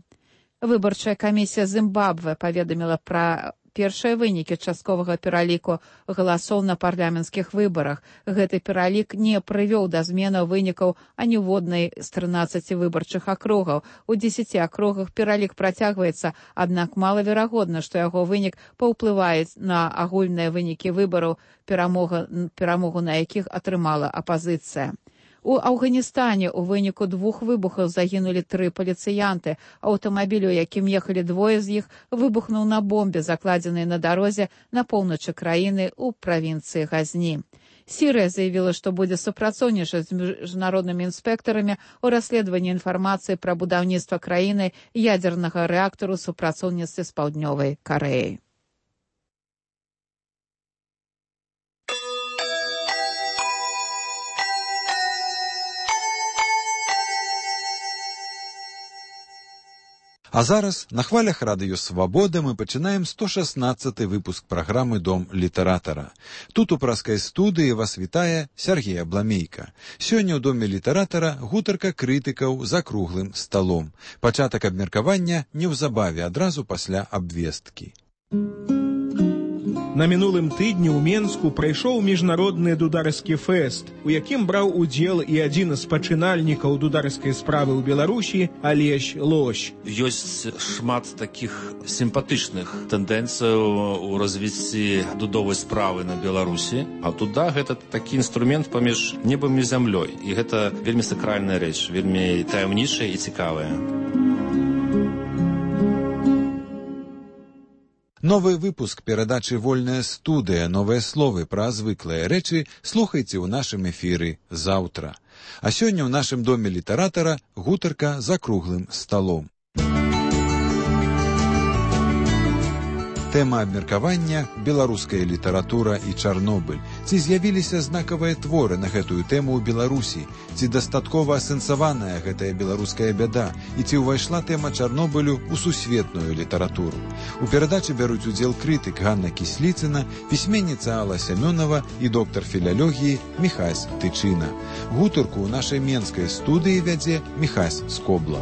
Выбарчая камісія Зімбабве паведаміла пра першыя вынікі частковага пераліку галасоў на парламенцкіх выбарах. Гэты пералік не прывёў да зменаў вынікаў аніводнай з трынаццаці выбарчых акругаў. У дзесяці акругах пералік працягваецца, аднак малаверагодна, што яго вынік паўплывае на агульныя вынікі выбараў, перамогу на якіх атрымала апазіцыя. У Афганістане ў выніку двух выбухаў загінулі тры паліцыянты. Аўтамабіль, у якім ехалі двое з іх, выбухнуў на бомбе, закладзенай на дарозе на поўначы краіны ў правінцыі Газні. Сірыя заявіла, што будзе супрацоўнічаць з міжнароднымі інспектарамі ў расследаванні інфармацыі пра будаўніцтва краіны ядзернага рэактару супрацоўніцтве з Паўднёвай Карэяй. А зараз на хвалях радыё «Свабода» мы пачынаем сто шаснаццаты выпуск праграмы «Дом літаратара». Тут у праскай студыі вас вітае Сергей Абламейка. Сёння ў Доме літаратара гутарка крытыкаў за круглым сталом. Пачатак абмеркавання неўзабаве, адразу пасля абвесткі. На мінулым тыдні ў Менску прайшоў міжнародны дударскі фэст, у якім браў удзел і адзін з пачынальнікаў дударскай справы ў Беларусі Алесь Лось. Ёсць шмат такіх сімпатычных тэндэнцыяў у развіцці дудовай справы на Беларусі. А туда гэта такі інструмент паміж небам і зямлёй. І гэта вельмі сакральная рэч, вельмі таямнічая і цікавая. Новы выпуск перадачы «Вольная студыя. Новыя словы пра звыклыя рэчы» слухайце ў нашым эфіры заўтра. А сёння ў нашым доме літаратара гутарка за круглым сталом. Тэма абмеркавання – беларуская літаратура і Чарнобыль. Ці з'явіліся знакавыя творы на гэтую тэму ў Беларусі? Ці дастаткова асэнсаваная гэтая беларуская бяда? І ці ўвайшла тэма Чарнобылю ў сусветную літаратуру? У перадачы бяруць удзел крытык Ганна Кісліцына, пісьменніца Алла Сямёнова і доктар філалогіі Міхась Тычына. Гутарку ў нашай менскай студыі вядзе Міхась Скобла.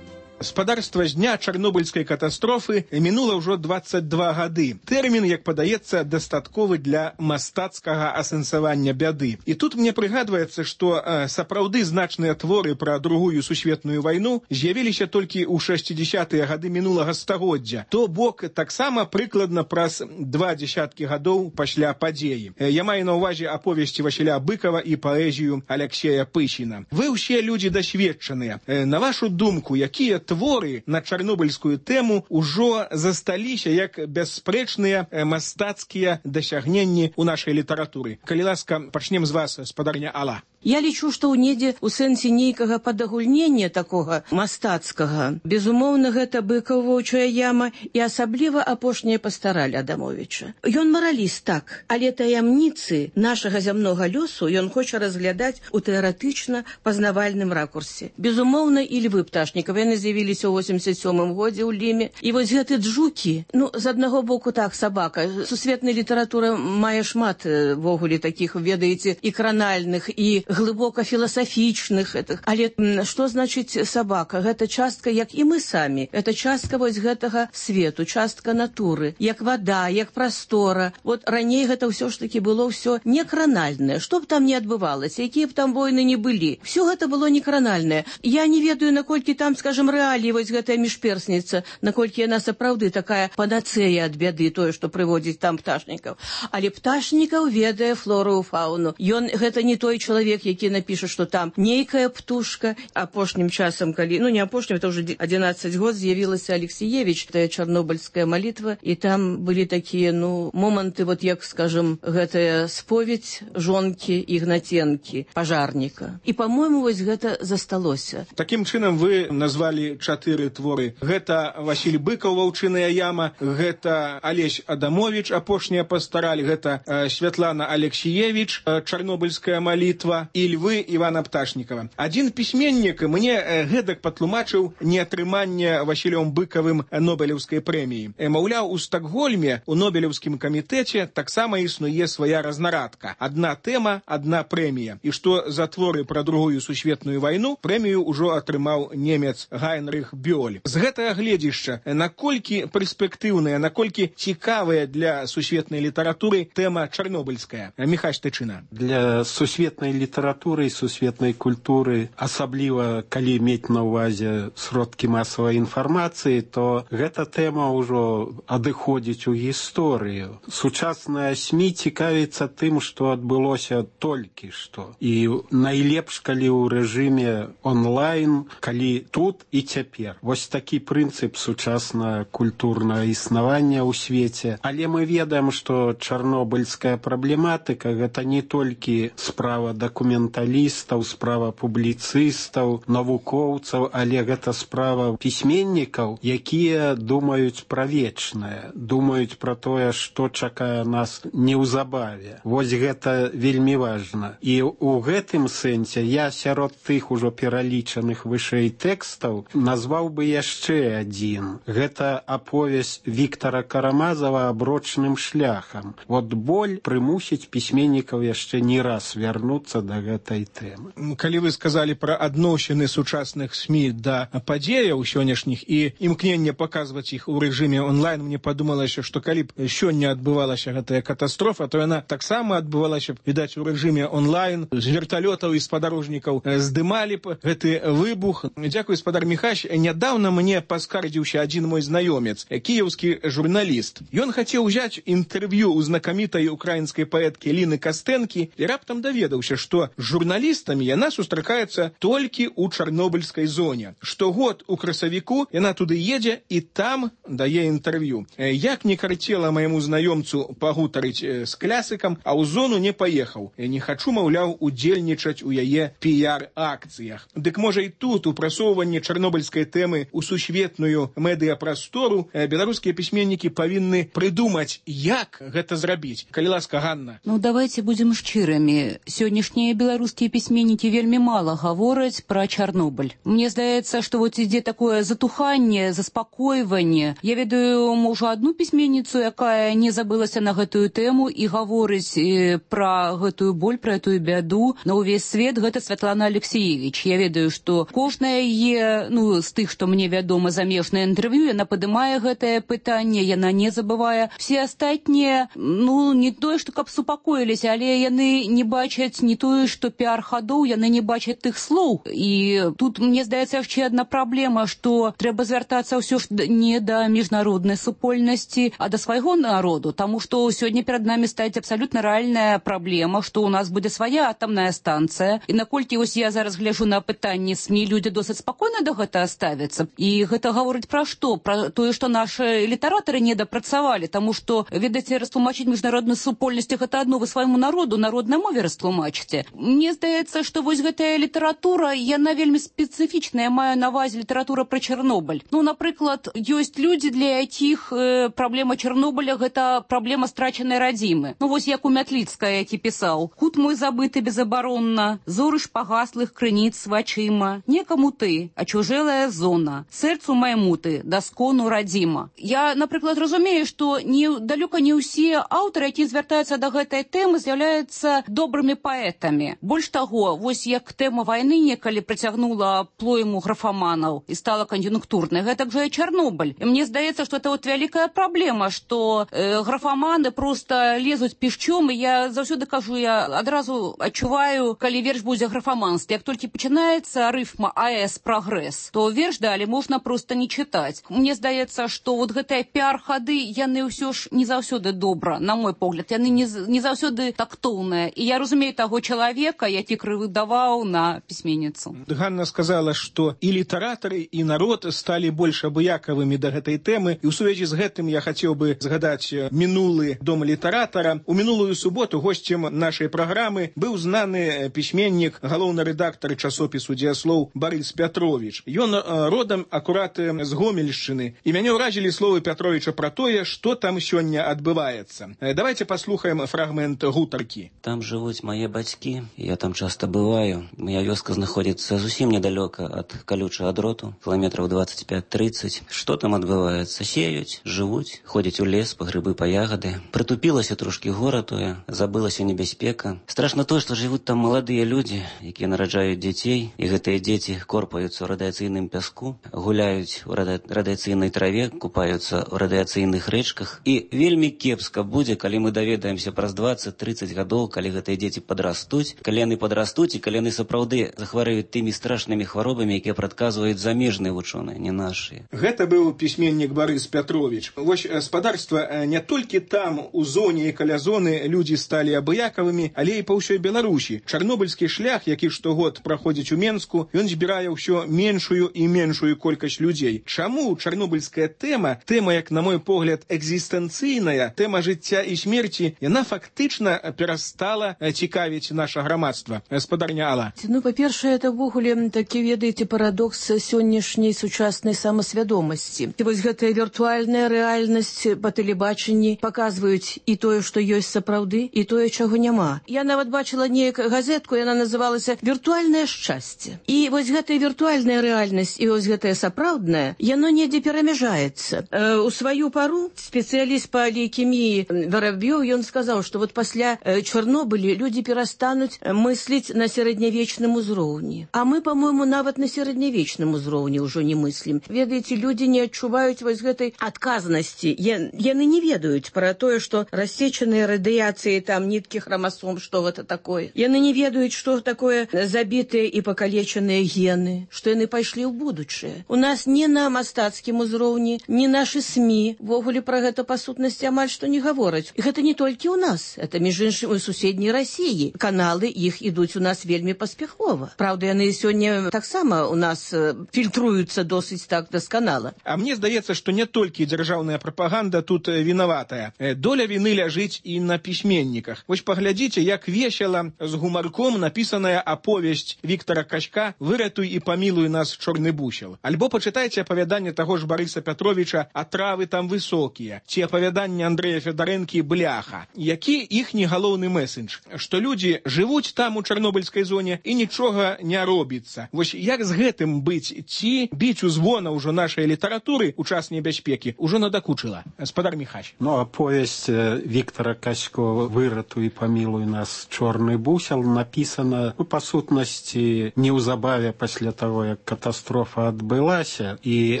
Спадарства з дня чарнобыльскай катастрофы мінула ўжо дваццаць два гады. Тэрмін, як падаецца, дастатковы для мастацкага асэнсавання бяды. І тут мне прыгадваецца, што э, сапраўды значныя творы пра другую сусветную вайну з'явіліся толькі ў шэсцідзясятыя гады мінулага стагоддзя. То бок таксама прыкладна праз два дзесяткі гадоў пасля падзеі. Э, я маю на ўвазе аповесці Васіля Быкова і паэзію Аляксея Пышіна. Вы ўсе людзі дасведчаныя. Э, на вашу думку, якія творы на чарнобыльскую тэму ўжо засталіся як бясспрэчныя мастацкія дасягненні ў нашай літаратуры. Калі ласка, пачнем з вас, спадарня Алла. Я лічу, што ў недзе ў сэнсе нейкага падагульнення такога мастацкага, безумоўна, гэта Быкаў «Воўчая яма» і асабліва апошняя пастараль Адамовіча. Ён мараліст, так, але таямніцы нашага зямнога лёсу ён хоча разглядаць у тэарэтычна пазнавальным ракурсе. Безумоўна, і Львы Пташнікава, яны з'явіліся ў восемьдесят сёмым годзе ў Ліме. І вось гэты джукі, ну, з аднаго боку так, сабака. Сусветная літаратура мае шмат вогуле такіх, ведаеце, і кранальных, і глыбока філасафічных гэтых. Але што значыць сабака? Гэта частка, як і мы самі. Гэта частка вось гэтага свету, частка натуры, як вада, як прастора. Вот раней гэта ўсё ж такі было ўсё не кранальнае. Што б там не адбывалася, якія б там войны не былі. Всё гэта было не кранальнае. Я не ведаю, наколькі там, скажем, рэаліі вось гэтая міжперсніца, наколькі яна сапраўды такая панацэя ад бяды, тое, што прыводзіць там Пташнікаў. Але Пташнікаў ведае флору і фауну. Ён гэта не той чалавек, які напіша, што там нейкая птушка. Апошнім часам, калі, ну не апошнім, это ўжо адзінаццаць год, з'явілася Алексіевіч, тая чарнобыльская малітва, і там былі такія, ну, моманты, вот як, скажем, гэтая споведь жонкі Ігнаценкі, пажарніка. І, па-мойму, вось гэта засталося. Такім чынам вы назвалі чатыры творы. Гэта Васіль Быкаў «Ваўчыная яма», гэта Алесь Адамовіч «Апошняя пастараль», гэта э, Святлана Алексіевіч э, «Чарнобыльская малітва» і Львы Івана Пташнікава. Адзін пісьменнік мне э, гэтак патлумачыў неатрыманне Васілём Быкавым Нобелеўскай прэміі. Э, маўляў, у Стакгольме у Нобелеўскім камітэце таксама існуе свая разнарадка. Адна тэма, адна прэмія. І што за творы пра другую сусветную вайну прэмію ўжо атрымаў немец Гайнрых Бёль. З гэтага гледзішча, наколькі перспектыўная, наколькі цікавая для сусветнай літаратуры тэма чарнобыльская? Міхась Тычына. Для сусветнай літаратуры і сусветнай культуры, асабліва калі мець на ўвазе сродкі масавай інфармацыі, то гэта тэма ўжо адыходзіць у гісторыю. Сучасная СМІ цікавіцца тым, што адбылося толькі што. І найлепш, калі ў рэжыме онлайн, калі тут і цяпер. Вось такі прынцып сучаснага культурнага існавання ў свеце. Але мы ведаем, што чарнобыльская праблематыка гэта не толькі справа дакументалістаў, справа публіцыстаў, навукоўцаў, але гэта справа пісьменнікаў, якія думаюць пра вечнае, думаюць пра тое, што чакае нас неўзабаве. Вось гэта вельмі важна. І ў гэтым сэнсе я сярод тых ужо пералічаных вышэй тэкстаў назваў бы яшчэ адзін. Гэта аповесць Віктара Карамазава «Аброчным шляхам». Вот боль прымусіць пісьменнікаў яшчэ не раз вярнуцца да да гэтай тэмы. Калі вы сказалі пра адносіны сучасных СМІ да падзеяў сённяшніх і імкненне паказваць іх у рэжыме онлайн, мне падумалася, што калі б сёння адбывалася гэтая катастрофа, то яна таксама адбывалася, відаць, у рэжыме онлайн, з верталётаў і спадарожнікаў здымалі б гэты выбух. Дзякуй, спадар Міхась. Нядаўна мне паскардзіўся адзін мой знаёмец, кіеўскі журналіст. Ён хацеў узяць інтэрв'ю ў знакамітай украінскай паэткі Ліны Кастэнкі і раптам даведаўся, што з журналістамі яна сустракаецца толькі ў чарнобыльскай зоне. Штогод у красавіку яна туды едзе і там дае інтэрв'ю. Як не карцела майму знаёмцу пагутарыць з клясыкам, а ў зону не паехаў. Не хачу, маўляў, удзельнічаць у яе піяр-акцыях. Дык можа і тут у прасоўванні чарнобыльскай тэмы ў сусветную медыяпрастору беларускія пісьменнікі павінны прыдумаць, як гэта зрабіць. Калі ласка, Ганна. Ну, давайте будем шчырамі. Сённяшнія беларускія пісьменнікі вельмі мала гавораць пра Чарнобыль. Мне здаецца, што вот ідзе такое затуханне, заспакойванне. Я ведаю, можа, адну пісьменніцу, якая не забылася на гэтую тэму і гаворыць пра гэтую боль, пра гэтую бяду на ўвесь свет. Гэта Святлана Алексеевич. Я ведаю, што кожная яе, ну, з тых, што мне вядома, замежнае інтэрв'ю, яна падымае гэтае пытанне, яна не забывае. Все астатнія, ну, не тое, што каб супакоіліся, але яны не бачаць не тое, што піар-хадоў, яны не бачаць тых слоў. І тут, мне здаецца, яшчэ адна праблема, што трэба звяртацца ўсё ж не да міжнароднай супольнасці, а да свайго народу, таму што сёння перад намі стаіць абсалютна рэальная праблема, што ў нас будзе свая атамная станцыя. І наколькі вось я зараз гляжу на пытанні СМІ, людзі досыць спакойна да гэтага ставяцца. І гэта гаворыць пра што? Пра тое, што нашы літаратары не дапрацавалі, таму што, ведаеце, растлумачыць міжнароднай супольнасці гэта адно, вы свайму народу на роднай мове растлумачыце. Мне здаецца, што вось гэтая літаратура, яна вельмі спецыфічная, я маю на ўвазе літаратура пра Чарнобыль. Ну, напрыклад, ёсць людзі, для якіх э, праблема Чарнобыля гэта праблема страчанай радзімы. Ну, вось як у Мятліцкая, які пісаў: «Кут мой забыты безабаронна, зоры шпагаслых крыніц вачыма, некаму ты, а чужэлая зона, сэрцу майму ты, даскону радзіма». Я, напрыклад, разумею, што не, далёка не ўсе аўтары, якія звяртаюцца да гэтай тэмы, з'яўляюцца добрымі паэтамі. Больш таго, вось як тэма вайны некалі прыцягнула плойму графаманаў і стала кан'юнктурнай, гэтак жа і Чарнобыль. І мне здаецца, што это вот вялікая праблема, што э, графаманы проста лезуць пішчом, і я заўсёды кажу, я адразу адчуваю, калі верш будзе графаманстве. Як толькі пачынаецца рыфма АЭС прагрэс, то верш далі можна проста не чытаць. Мне здаецца, што вот гэтыя піар-хады, яны ўсё ж не заўсёды добра, на мой погляд, яны не, не заўсёды тактоўныя. І я разумею таго чалавека, які крывыдаваў на пісьменніцу. Ганна сказала, што і літаратары, і народ сталі больш абыякавымі да гэтай тэмы. І ў сувязі з гэтым я хацеў бы згадаць мінулы дом літаратара. У мінулую суботу госцем нашай праграмы быў знаны пісьменнік, галоўны рэдактар часопісу «Дзеяслоў» Барыс Пятровіч. Ён родам акурат з Гомельшчыны. І мяне ўразілі словы Пятровіча пра тое, што там сёння адбываецца. Давайте паслухаем фрагмент гутаркі. Там жывуць мае бацькі, я там часта бываю. Моя вёска знаходзіцца зусім недалёка ад калючага дроту, кіламетраў двадцать пять тридцать. Што там адбываецца? Сеюць, жывуць, ходзяць у лес па грыбы, па ягады. Прытупілася трошкі гора тое, забылася небяспека. Страшна тое, што жывуць там маладыя людзі, якія нараджаюць дзяцей, і гэтыя дзеці корпаюцца ў радыяцыйным пяску, гуляюць у радыяцыйнай траве, купаюцца ў радыяцыйных рэчках. І вельмі кепска будзе, калі мы даведаемся праз двадцать тридцать гадоў, калі гэтыя дзеці падрастуць, калі яны падрастуць і калі яны сапраўды захварэюць тымі страшнымі хваробамі, якія прадказваюць замежныя вучоныя, не нашыя. Гэта быў пісьменнік Барыс Пятровіч. Вось спадарства, не толькі там, у зоне і каля зоны, людзі сталі абыякавымі, але і па ўсёй Беларусі. Чарнобыльскі шлях, які штогод праходзіць у Менску, ён збірае ўсё меншую і меншую колькасць людзей. Чаму чарнобыльская тэма, тэма, як на мой погляд, экзістэнцыйная, тэма жыцця і смерці, яна фактычна перастала цікавіць наша грамадства? Спадарня Алла. Ну, па-першае, это ўвогуле такі, ведаеце, парадокс сённяшняй сучаснай самасвядомасці. І вось гэтая віртуальная рэальнасць па тэлебачанні паказваюць і тое, што ёсць сапраўды, і тое, чаго няма. Я нават бачыла неяк газетку, яна называлася «Віртуальнае шчасце». І вось гэтая віртуальная рэальнасць і вось гэтая сапраўдная, яно недзе перамяжаецца. Э, у сваю пару спецыяліст па лейкеміі Вороб'ёў, ён сказаў, што вот пасля э, Чарнобылі людзі перастануць перастануць мысліць на сярэднявечным узроўні. А мы, по-моему, нават на сярэднявечным узроўні ўжо не мыслім. Ведаеце, людзі не адчуваюць вось гэтай адказнасці. Яны не ведаюць пра тое, што рассечаныя радыяцыі, там ніткі хромасом, што гэта такое. Яны не ведаюць, што такое забітыя і пакалечаныя гены, што яны пайшлі ў будучае. У нас не на мастацкім узроўні, не нашы СМІ ввогуле пра гэта па сутнасці амаль што не гавораць. І гэта не толькі ў нас, это між іншым у суседняй Расіі. Каналы іх ідуць у нас вельмі паспяхова. Праўда, яны сёння таксама у нас фільтруюцца досыць так дасканала. А мне здаецца, што не толькі дзяржаўная прапаганда тут вінаватая. Доля віны ляжыць і на пісьменніках. Вось паглядзіце, як весела з гумарком напісаная аповесць Віктара Качка «Выратуй і памілуй нас, чорны бусел». Альбо пачытайце апавяданне таго ж Барыса Пятровича «А травы там высокія», ці апавяданне Андрэя Федарэнкі «Бляха». Які іхні галоўны месендж? Што людзі жывуць там у чарнобыльскай зоне і нічога не робіцца. Вось як з гэтым быць? Ці біць у звона ўжо нашай літаратуры у час небяспекі ўжо надакучыла? Спадар Міхась. Ну, аповесць Віктара Качко «Выратуй і памілуй нас, чорны бусел» напісана, ну, па сутнасці, неўзабаве пасля таго, як катастрофа адбылася. І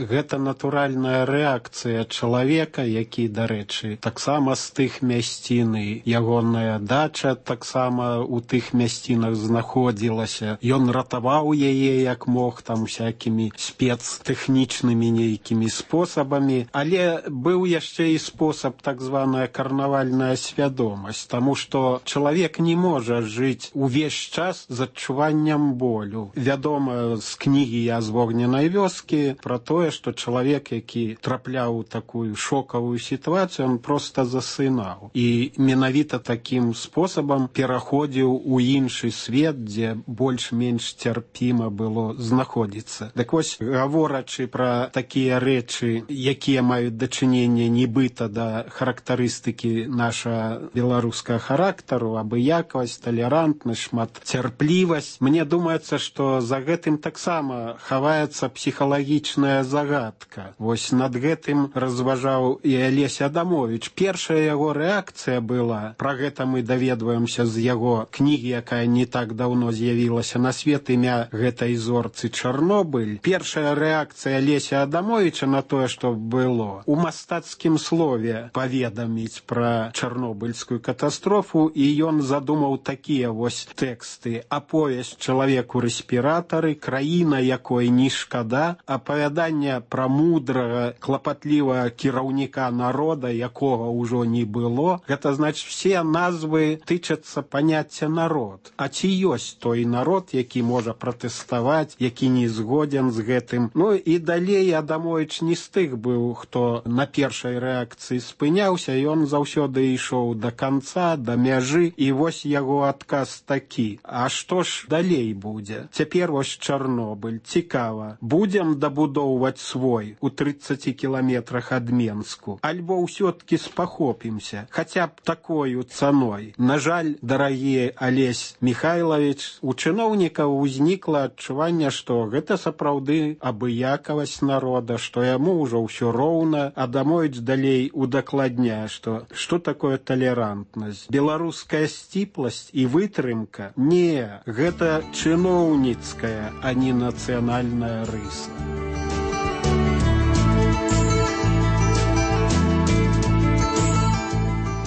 гэта натуральная рэакцыя чалавека, які, дарэчы, таксама з тых мясцін, і ягоная дача таксама у тых мясцінах знаходзілася. Ён ратаваў яе як мог, там всякімі спецтэхнічнымі нейкімі спосабамі, але быў яшчэ і спосаб так званая карнавальная свядомасць, таму што чалавек не можа жыць увесь час з адчуваннем болю. Вядома з кнігі «Я з вогненай вёскі» пра тое, што чалавек, які трапляў у такую шокавую сітуацыю, он проста засынаў. І менавіта такім спосабам пераходзіў у іншы свет, дзе больш-менш цярпіма было знаходзіцца. Дык вось, гаворачы пра такія рэчы, якія маюць дачыненне нібыта да характарыстыкі наша беларускага характару, абыякавасць, талерантнасць, шматцярплівасць, мне думаецца, што за гэтым таксама хаваецца псіхалагічная загадка. Вось над гэтым разважаў і Алесь Адамович. Першая яго рэакцыя была, пра гэта мы даведваемся з яго кнігі, якая не так даўно з'явілася на свет, імя гэтай зорцы Чарнобыль. Першая рэакцыя Алеся Адамовича на тое, што было, у мастацкім слове паведаміць пра чарнобыльскую катастрофу, і ён задумаў такія вось тэксты. Аповесць «Чалавек у рэспіратары», краіна, якой не шкада, апавяданне пра мудрага, клапатлівага кіраўніка народа, якога ўжо не было. Гэта значыць, все назвы тычацца паняцця народ. А ці ёсць той народ, які можа пратэставаць, які не згоден з гэтым? Ну і далей Адамович не з тых быў, хто на першай рэакцыі спыняўся, ён заўсёды ішоў да канца, да мяжы, і вось яго адказ такі. А што ж далей будзе? Цяпер вось Чарнобыль. Цікава. Будзем дабудоўваць свой у трыццаці кіламетрах ад Менску? Альбо ўсё-ткі спахопімся, хаця б такою цаной? На жаль, дарагі Алесь Михайлович, у чыноўнікаў узнікла адчуванне, што гэта сапраўды абыякавасць народа, што яму ўжо ўсё роўна. Адамович далей удакладняе, што што такое талерантнасць? Беларуская сціпласць і вытрымка? Не, гэта чыноўніцкая, а не нацыянальная рыса.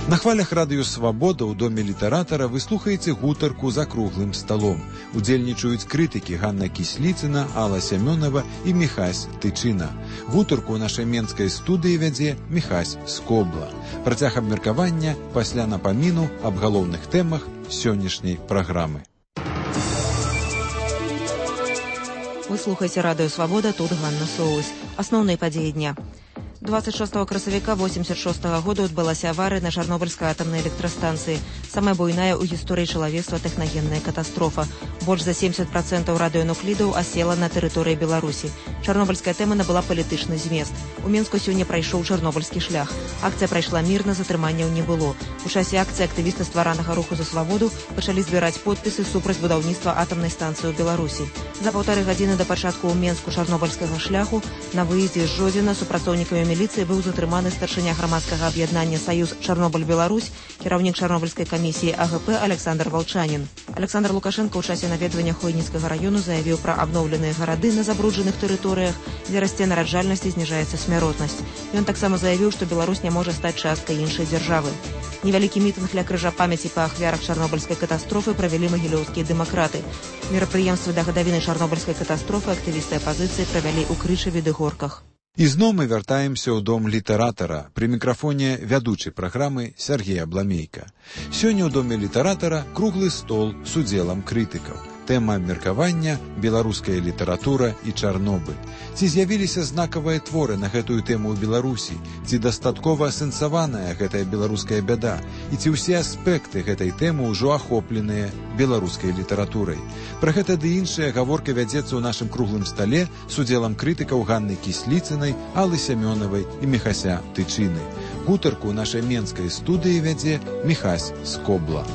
На хвалях радыё «Свабода» ў доме літаратара вы слухаеце гутарку за круглым сталом. Удзельнічаюць крытыкі Ганна Кісліцына, Алла Сямёнова і Міхась Тычына. Гутарку ў нашай менскай студыі вядзе Міхась Скобла. Працяг абмеркавання пасля напаміну аб галоўных тэмах сённяшняй праграмы. Вы слухаеце радыё «Свабода», тут Ганна Соус. Асноўныя падзеі дня. двадцать шестого красавіка восемьдесят шестого года адбылася аварыя на Чарнобыльскай атамнай электрастанцыі. Самая буйная ў гісторыі чалавецтва тэхнагенная катастрофа. Больш за семьдесят процентов радыёнуклідаў асела на тэрыторыі Беларусі. Чарнобыльская тэма набыла палітычны змест. У Менску сёння прайшоў чарнобыльскі шлях. Акцыя прайшла мірна, затрыманняў не было. У часе акцыі актывісты стваранага руху за свабоду пачалі збіраць подпісы супраць будаўніцтва атамнай станцыі ў Беларусі. За паўтары гадзіны да пачатку ў Менску чарнобыльскага шляху на выездзе з Жодзіна супрацоўнікамі міліцыі быў затрыманы старшыня грамадскага аб'яднання «Саюз Чарнобыль-Беларусь», кіраўнік чарнобыльскай камісіі А Г П Александр Валчанін. Александр Лукашенко ў часе наведвання Хойніцкага раёну заявіў пра абноўленыя гарады на забруджаных тэрыторыях, дзе расце нараджальнасць і зніжаецца смяротнасць. Ён таксама заявіў, што Беларусь не можа стаць часткай іншай дзяржавы. Невялікі мітынг ля крыжа памяці па ахвярах чарнобыльскай катастрофы правялі магілёўскія дэмакраты. Мерапрыемствы да гадавіны чарнобыльскай катастрофы актывісты апазіцыі правялі ў Крычаве ды Горках. Ізноў мы вяртаемся ў дом літаратара. Пры мікрафоне вядучай праграмы Сергей Абламейка. Сёння ў доме літаратара круглы стол з удзелам крытыкаў. Тэма абмеркавання беларуская літаратура і Чарнобыль. Ці з'явіліся знакавыя творы на гэтую тэму ў Беларусі? Ці дастаткова асэнсаваная гэтая беларуская бяда? І ці ўсе аспекты гэтай тэмы ўжо ахопленыя беларускай літаратурай? Пра гэта ды іншая гаворка вядзецца ў нашым круглым стале з удзелам крытыкаў Ганны Кісліцынай, Аллы Сямёнавай і Міхася Тычыны. Гутарку ў нашай менскай студыі вядзе Міхась Скобла.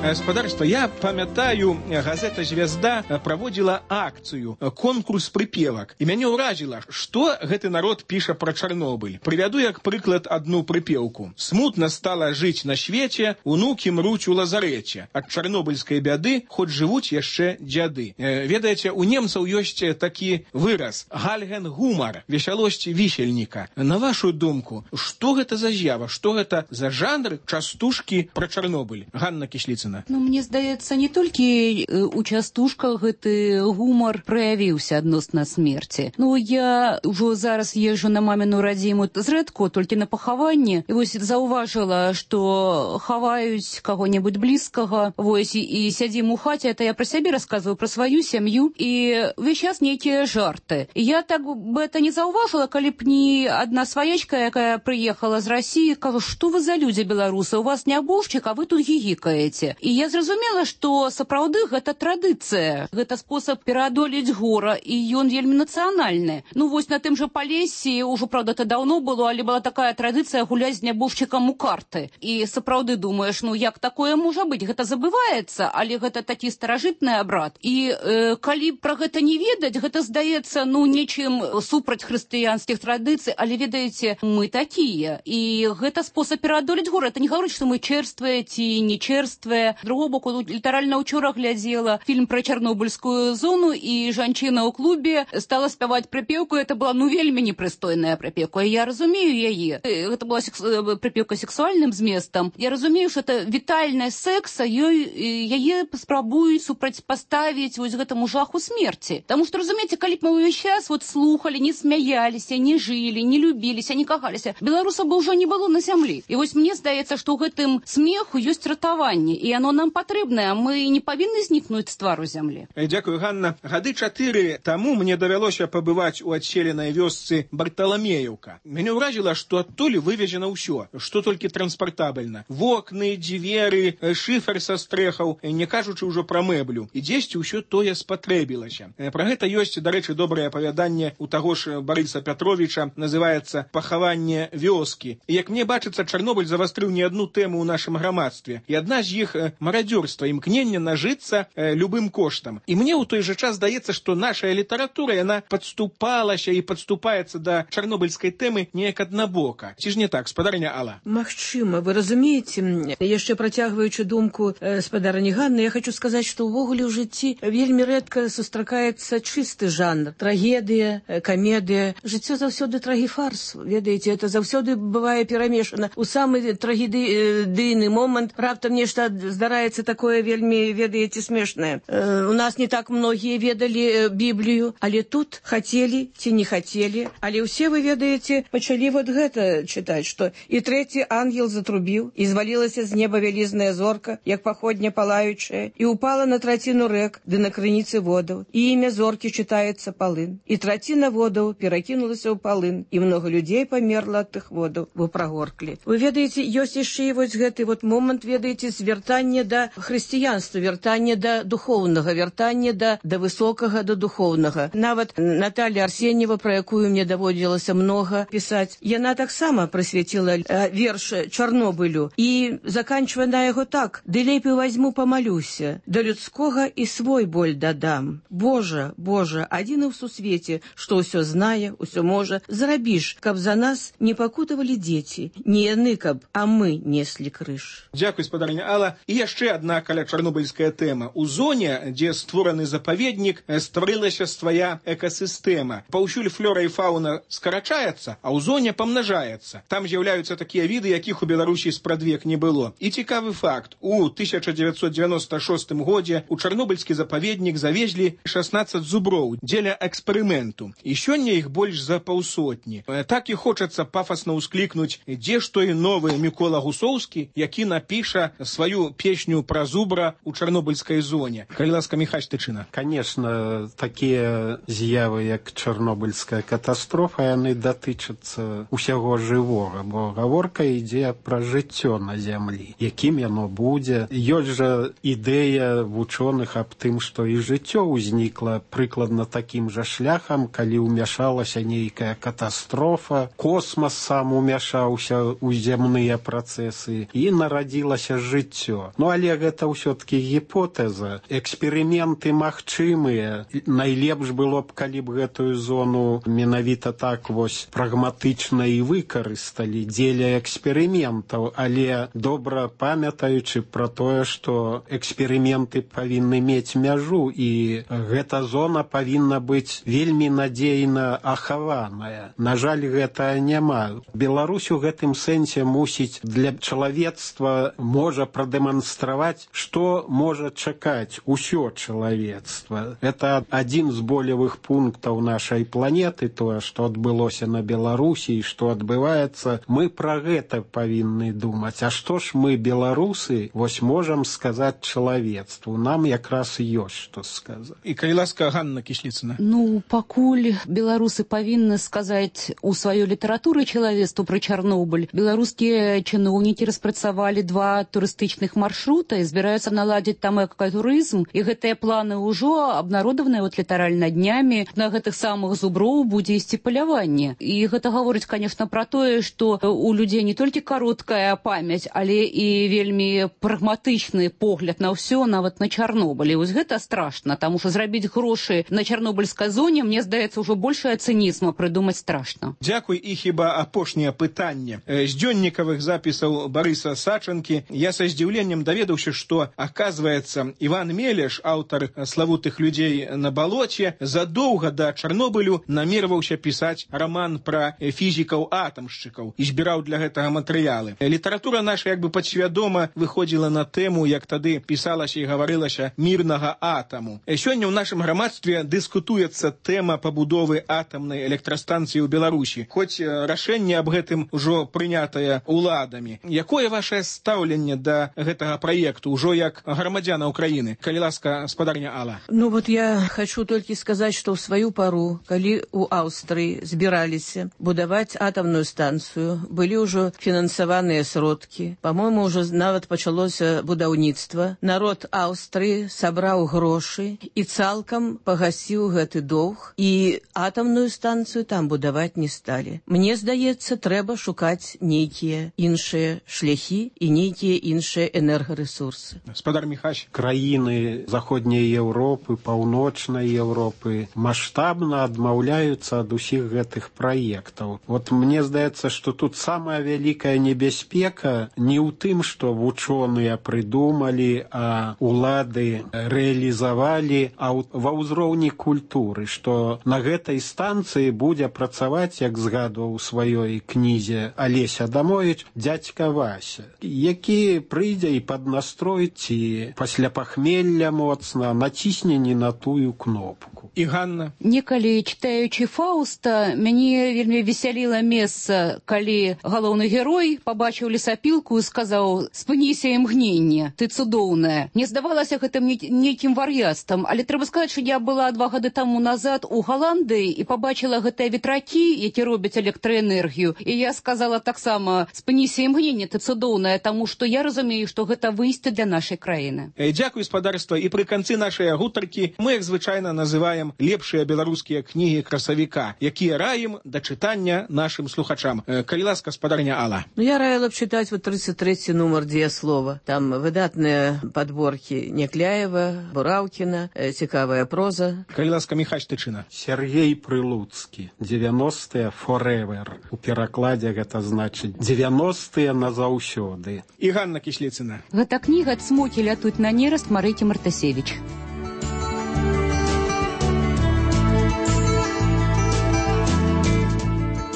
Гаспадарства, я памятаю, газета «Звезда» праводзіла акцыю, конкурс прыпевак. І мяне ўражыла, што гэты народ піша пра Чарнобыль. Прывяду як прыклад адну прыпеўку. «Смутна стала жыць на свеце, унукі мруць у лазарэце. Ад чарнобыльскай бяды хоць жывуць яшчэ дзяды». Ведаеце, у немцаў ёсць такі выраз «гальген гумар», весялосць вісельніка. На вашу думку, што гэта за з'ява, што гэта за жанр частушкі пра Чарнобыль? Ганна Кісліцына. Ну, мне здаецца, не толькі у частушках гэты гумар праявіўся адносна смерці. Ну, я ўжо зараз езжу на маміну радзіму зрэдку, толькі на пахаванне. І вось заўважыла, што хаваюць каго-небудзь блізкага, вось, і, і сядзім у хаце, это я пра сябе расказваю, пра сваю сям'ю, і ўвесь час нейкія жарты. І я так бы это не заўважыла, калі б не адна сваячка, якая прыехала з Расіі, кажа, што вы за людзі беларусы, у вас не абоўшчык, а вы тут гігікаеце. І я зразумела, што сапраўды гэта традыцыя, гэта спосаб пераадолець гора, і ён вельмі нацыянальны. Ну вось на тым жа Палесе, ўжо, правда, это даўно было, але была такая традыцыя гуляць з нябожчыкам у карты. І сапраўды думаеш, ну як такое можа быць? Гэта забываецца, але гэта такі старажытны абрад. І э, калі пра гэта не ведаць, гэта здаецца, ну, нечым супраць хрысціянскіх традыцый, але ведаеце, мы такія. І гэта спосаб пераадолець гора. Это не гаворыць, што мы чэрствыя ці не чэрствыя. З другого боку, літаральна ўчора глядзела фільм пра чарнобыльскую зону, і жанчына ў клубе стала спяваць прыпеўку. Это была, ну, вельмі непрыстойная прыпеўка. Я разумею яе. Гэта была секс... прыпеўка сексуальным зместам. Я разумею, што это вітальная секса, ёй, яе спрабуюць супрацьпаставіць вось гэтаму жаху смерці. Таму што, разумееце, калі б мы ўвесь час вот слухалі, не смяяліся, не жылі, не любіліся, не кахаліся, беларусаў бы ўжо не было на зямлі. І вось мне здаецца, што ў гэтым смеху ёсць ратаванне, і оно нам патрэбнае, мы не павінны знікнуць з твару зямлі. Дзякую, Ганна. Гады чатыры таму мне давялося пабываць у адселенай вёсцы Барталамеевка. Мяне ўражыла, што адтуль вывезена ўсё, што толькі транспартабельна. Вокны, дзверы, шыфер са стрэхаў, не кажучы ўжо пра мэблю. І дзесьці ўсё тое спатрэбілася. Пра гэта ёсць, дарэчы, добрае апавяданне у таго ж Барыса Пятровіча, называецца «Пахаванне вёскі». І як мне бачыцца, Чарнобыль завастрыў не адну тэму ў нашым грамадстве. І адна з іх марадзёрства, імкнення нажыцца э, любым коштам. І мне ў той жа час здаецца, што нашая літаратура, яна падступалася і падступаецца да чарнобыльскай тэмы неяк аднабока. Ці ж не так, спадарня Алла? Магчыма, вы разумееце, яшчэ працягваючы думку э, спадарні Ганны, я хочу сказаць, што ўвогуле ў жыцці вельмі рэдка сустракаецца чысты жанр. Трагедыя, э, камедыя. Жыццё заўсёды трагіфарс. Ведаеце, это заўсёды бывае перамешана. У самы трагедыйны момант раптам нешта здараецца такое вельмі, ведаеце, смешнае. Э, у нас не так многія ведалі э, Біблію, але тут хацелі ці не хацелі, але ўсе, вы ведаеце, пачалі вот гэта чытаць, што і трэці ангел затрубіў, і звалілася з неба вялізная зорка, як паходня палаючая, і упала на траціну рэк, ды на крыніцы водаў, і імя зоркі чытаецца палын. І траціна водаў перакінулася ў палын, і многа людзей памерла ад тых водаў, бо прагорклі. Вы ведаеце, ёсць яшчэ і вось гэты вот момант, ведаеце, звяртання вяртанне да хрысціянства, вяртанне да духоўнага, вяртанне да, да высокага, да духоўнага. Нават Наталья Арсеньева, про якую мне даводзілася много пісаць, яна таксама прысвяціла э, верш Чарнобылю і заканчвае на яго так: «Ды лепей возьму помолюся, да людскога і свой боль дадам. Божа, Божа, адзіны ў сусвеце, што ўсё знае, ўсё можа, зрабіш, каб за нас не пакутавалі дзеці, не яны, каб, а мы неслі крыж». Дзякуй, спадарня Алла. І яшчэ адна каля чарнобыльская тэма. У зоне, дзе створаны запаведнік, стварылася свая экасістэма. Паўсюль флора і фауна скарачаецца, а ў зоне памнажаецца. Там з'яўляюцца такія віды, якіх у Беларусі спрадвек не было. І цікавы факт. У тысяча дзевяцьсот девяносто шостым годзе у чарнобыльскі запаведнік завезлі шаснаццаць зуброў дзеля эксперыменту. І сёння іх больш за паўсотні. Так і хочацца пафасна ўсклікнуць, дзе ж той новы Мікола Гусоўскі, які напіша сваю песню пра зубра у чарнобыльскай зоне. Калі ласка, Міхась Тычына. Конечно, такія з'явы, як чарнобыльская катастрофа, яны датычацца усяго жывога, бо гаворка ідзе пра жыццё на зямлі. Якім яно будзе? Ёсць жа ідэя вучоных аб тым, што і жыццё ўзнікла прыкладна такім жа шляхам, калі ўмяшалася нейкая катастрофа, космас сам умяшаўся ў зямныя працэсы і нарадзілася жыццё. Ну, але гэта ўсё-таки гіпотэза. Эксперыменты магчымыя. Найлепш было б, калі б гэтую зону менавіта так вось прагматычна і выкарысталі дзеля эксперыментаў, але добра памятаючы пра тое, што эксперыменты павінны мець мяжу, і гэта зона павінна быць вельмі надзейна ахаваная. На жаль, гэта няма. Беларусь у гэтым сэнсе мусіць для чалавецтва можа прадэманстраваць, што можа чакаць усё чалавецтва. Это адзін з болевых пунктаў нашай планеты, тое, што адбылося на Беларусі і што адбываецца. Мы пра гэта павінны думаць. А што ж мы, беларусы, вось можам сказаць чалавецтву? Нам якраз ёсць што сказаць. І калі ласка, Ганна Кісліцына. Ну, пакуль беларусы павінны сказаць у сваёй літаратуры чалавецтву пра Чарнобыль, беларускія чыноўнікі распрацавалі два турыстычных маршрута і збіраюцца наладзіць там экатурызм, і гэтыя планы ўжо абнародаваныя вот літаральна днямі. На гэтых самых зуброў будзе ісці паляванне. І гэта гаворыць, конечно, пра тое, што у людзей не толькі кароткая памяць, але і вельмі прагматычны погляд на ўсё, нават на Чарнобыль. І вось гэта страшна, таму што зрабіць грошы на чарнобыльскай зоне, мне здаецца, ўжо большая цынізма прыдумаць страшна. Дзякуй. І хіба апошняе пытанне. З дзённікавых запісаў Барыса Сачанкі я са здзіўленнем даведаўся, што, аказваецца, Іван Мелеш, аўтар славутых людзей на балоце, задоўга да Чарнобылю намерваўся пісаць раман пра фізікаў-атамшчыкаў і збіраў для гэтага матэрыялы. Літаратура наша як бы падсвядома выходзіла на тэму, як тады пісалася і гаварылася, мірнага атаму. Сёння ў нашым грамадстве дыскутуецца тэма пабудовы атамнай электрастанцыі ў Беларусі, хоць рашэнне аб гэтым ужо прынятае уладамі. Якое вашае стаўленне да гэтага праекту ўжо як грамадзяна Украіны? Калі ласка, спадарня Алла. Ну вот я хочу только сказать, что в свою пору, калі у Аўстрыі збіраліся будаваць атамную станцыю, былі ўжо фінансаваныя сродкі. По-моему, уже нават пачалося будаўніцтва. Народ Аўстрыі сабраў грошы і цалкам пагасіў гэты доўг, і атамную станцыю там будаваць не сталі. Мне здаецца, трэба шукаць нейкія іншыя шляхі і нейкія іншыя энергарэсурсы. Спадар Міхась. Краіны заходняй Еўропы, паўночнай Еўропы маштабна адмаўляюцца ад усіх гэтых праектаў. Вот мне здаецца, што тут самая вялікая небяспека не ў тым, што вучоныя прыдумалі, а улады рэалізавалі, а ва ўзроўні культуры, што на гэтай станцыі будзе працаваць, як згадваў у сваёй кнізе Алесь Адамовіч, дзядзька Вася, які прыйдзе і паднастрой ці пасля пахмелля моцна націсне не на тую кнопку. І Ганна. Некалі, читаючы Фауста, мяне вельмі весяліла месца, калі галоўны герой пабачыў лесапілку і сказаў: «Спыніся імгненне, ты цудоўная». Не здавалася гэтым нейкім вар'яцтвам, але трэба сказаць, што я была два гады таму назад у Галандыі і пабачыла гэтыя ветракі, які робяць электраэнергію. І я сказала таксама: «Спыніся імгненне, ты цудоўная», таму што я разумею, што гэта выйсце для нашай краіны. Дзякуй, спадарства, і пры канцы нашай гутаркі мы, як звычайна, называем лепшыя беларускія кнігі красавіка, якія раім да чытання нашым слухачам. Калі ласка, спадарня Алла. Ну, я раіла б чытаць вот тридцать третий нумар «Дзеяслова». Там выдатныя падборкі Някляева, Бураўкіна, цікавая проза. Калі ласка, Міхась Тычына. Сергей Прилуцкі. девяностые forever. У перакладзе гэта значыць девяностые назаўсёды. І Ганна Кісліцына. Гэта кніга «Цмокі лятуць на нераст» Марыкі Мартасевіч.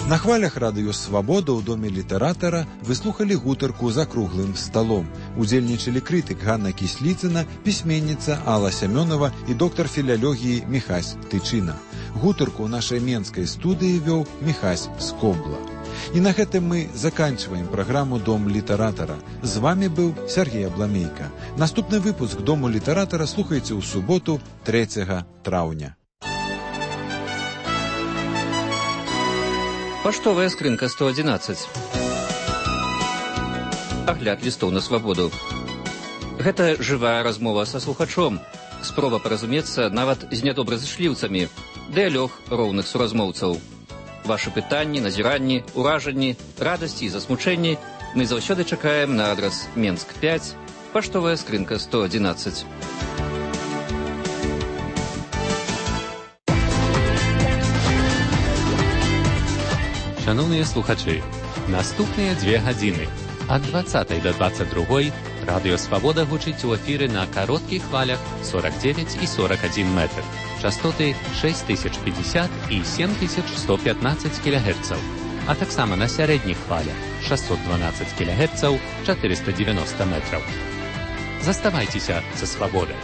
На хвалях радыё «Свабода» ў доме літаратара вы слухалі гутарку за круглым сталом. Удзельнічалі крытык Ганна Кісліцына, пісьменніца Алла Сямёнова і доктар філалогіі Міхась Тычына. Гутарку ў нашай менскай студыі вёў Міхась Скобла. І на гэтым мы заканчиваем праграму «Дом літаратара». З вами быў Сергей Абламейка. Наступны выпуск «Дому літаратара» слухайце ў суботу трэцяга траўня. Паштовая скрынка сто адзінаццаць. Агляд лістоў на свабоду. Гэта жывая размова са слухачом. Спроба паразумецца нават з нядобразышліўцамі. Дыялог роўных суразмоўцаў. Вашы пытанні, назіранні, уражанні, радасці і засмучэнні мы заўсёды чакаем на адрас Менск пяць, паштовая скрынка сто адзінаццаць. Шановныя слухачы, наступныя дзве гадзіны ад дваццатай да дваццаць другой радыё «Свабода» гучыць у эфіры на кароткіх хвалях сорок девять і сорок один метр, частоты шесть тысяч пятьдесят і семь тысяч сто пятнадцать кілогерцаў, а таксама на сярэдніх хвалях шестьсот двенадцать кілогерцаў, четыреста девяносто метраў. Заставайцеся са «Свабодай».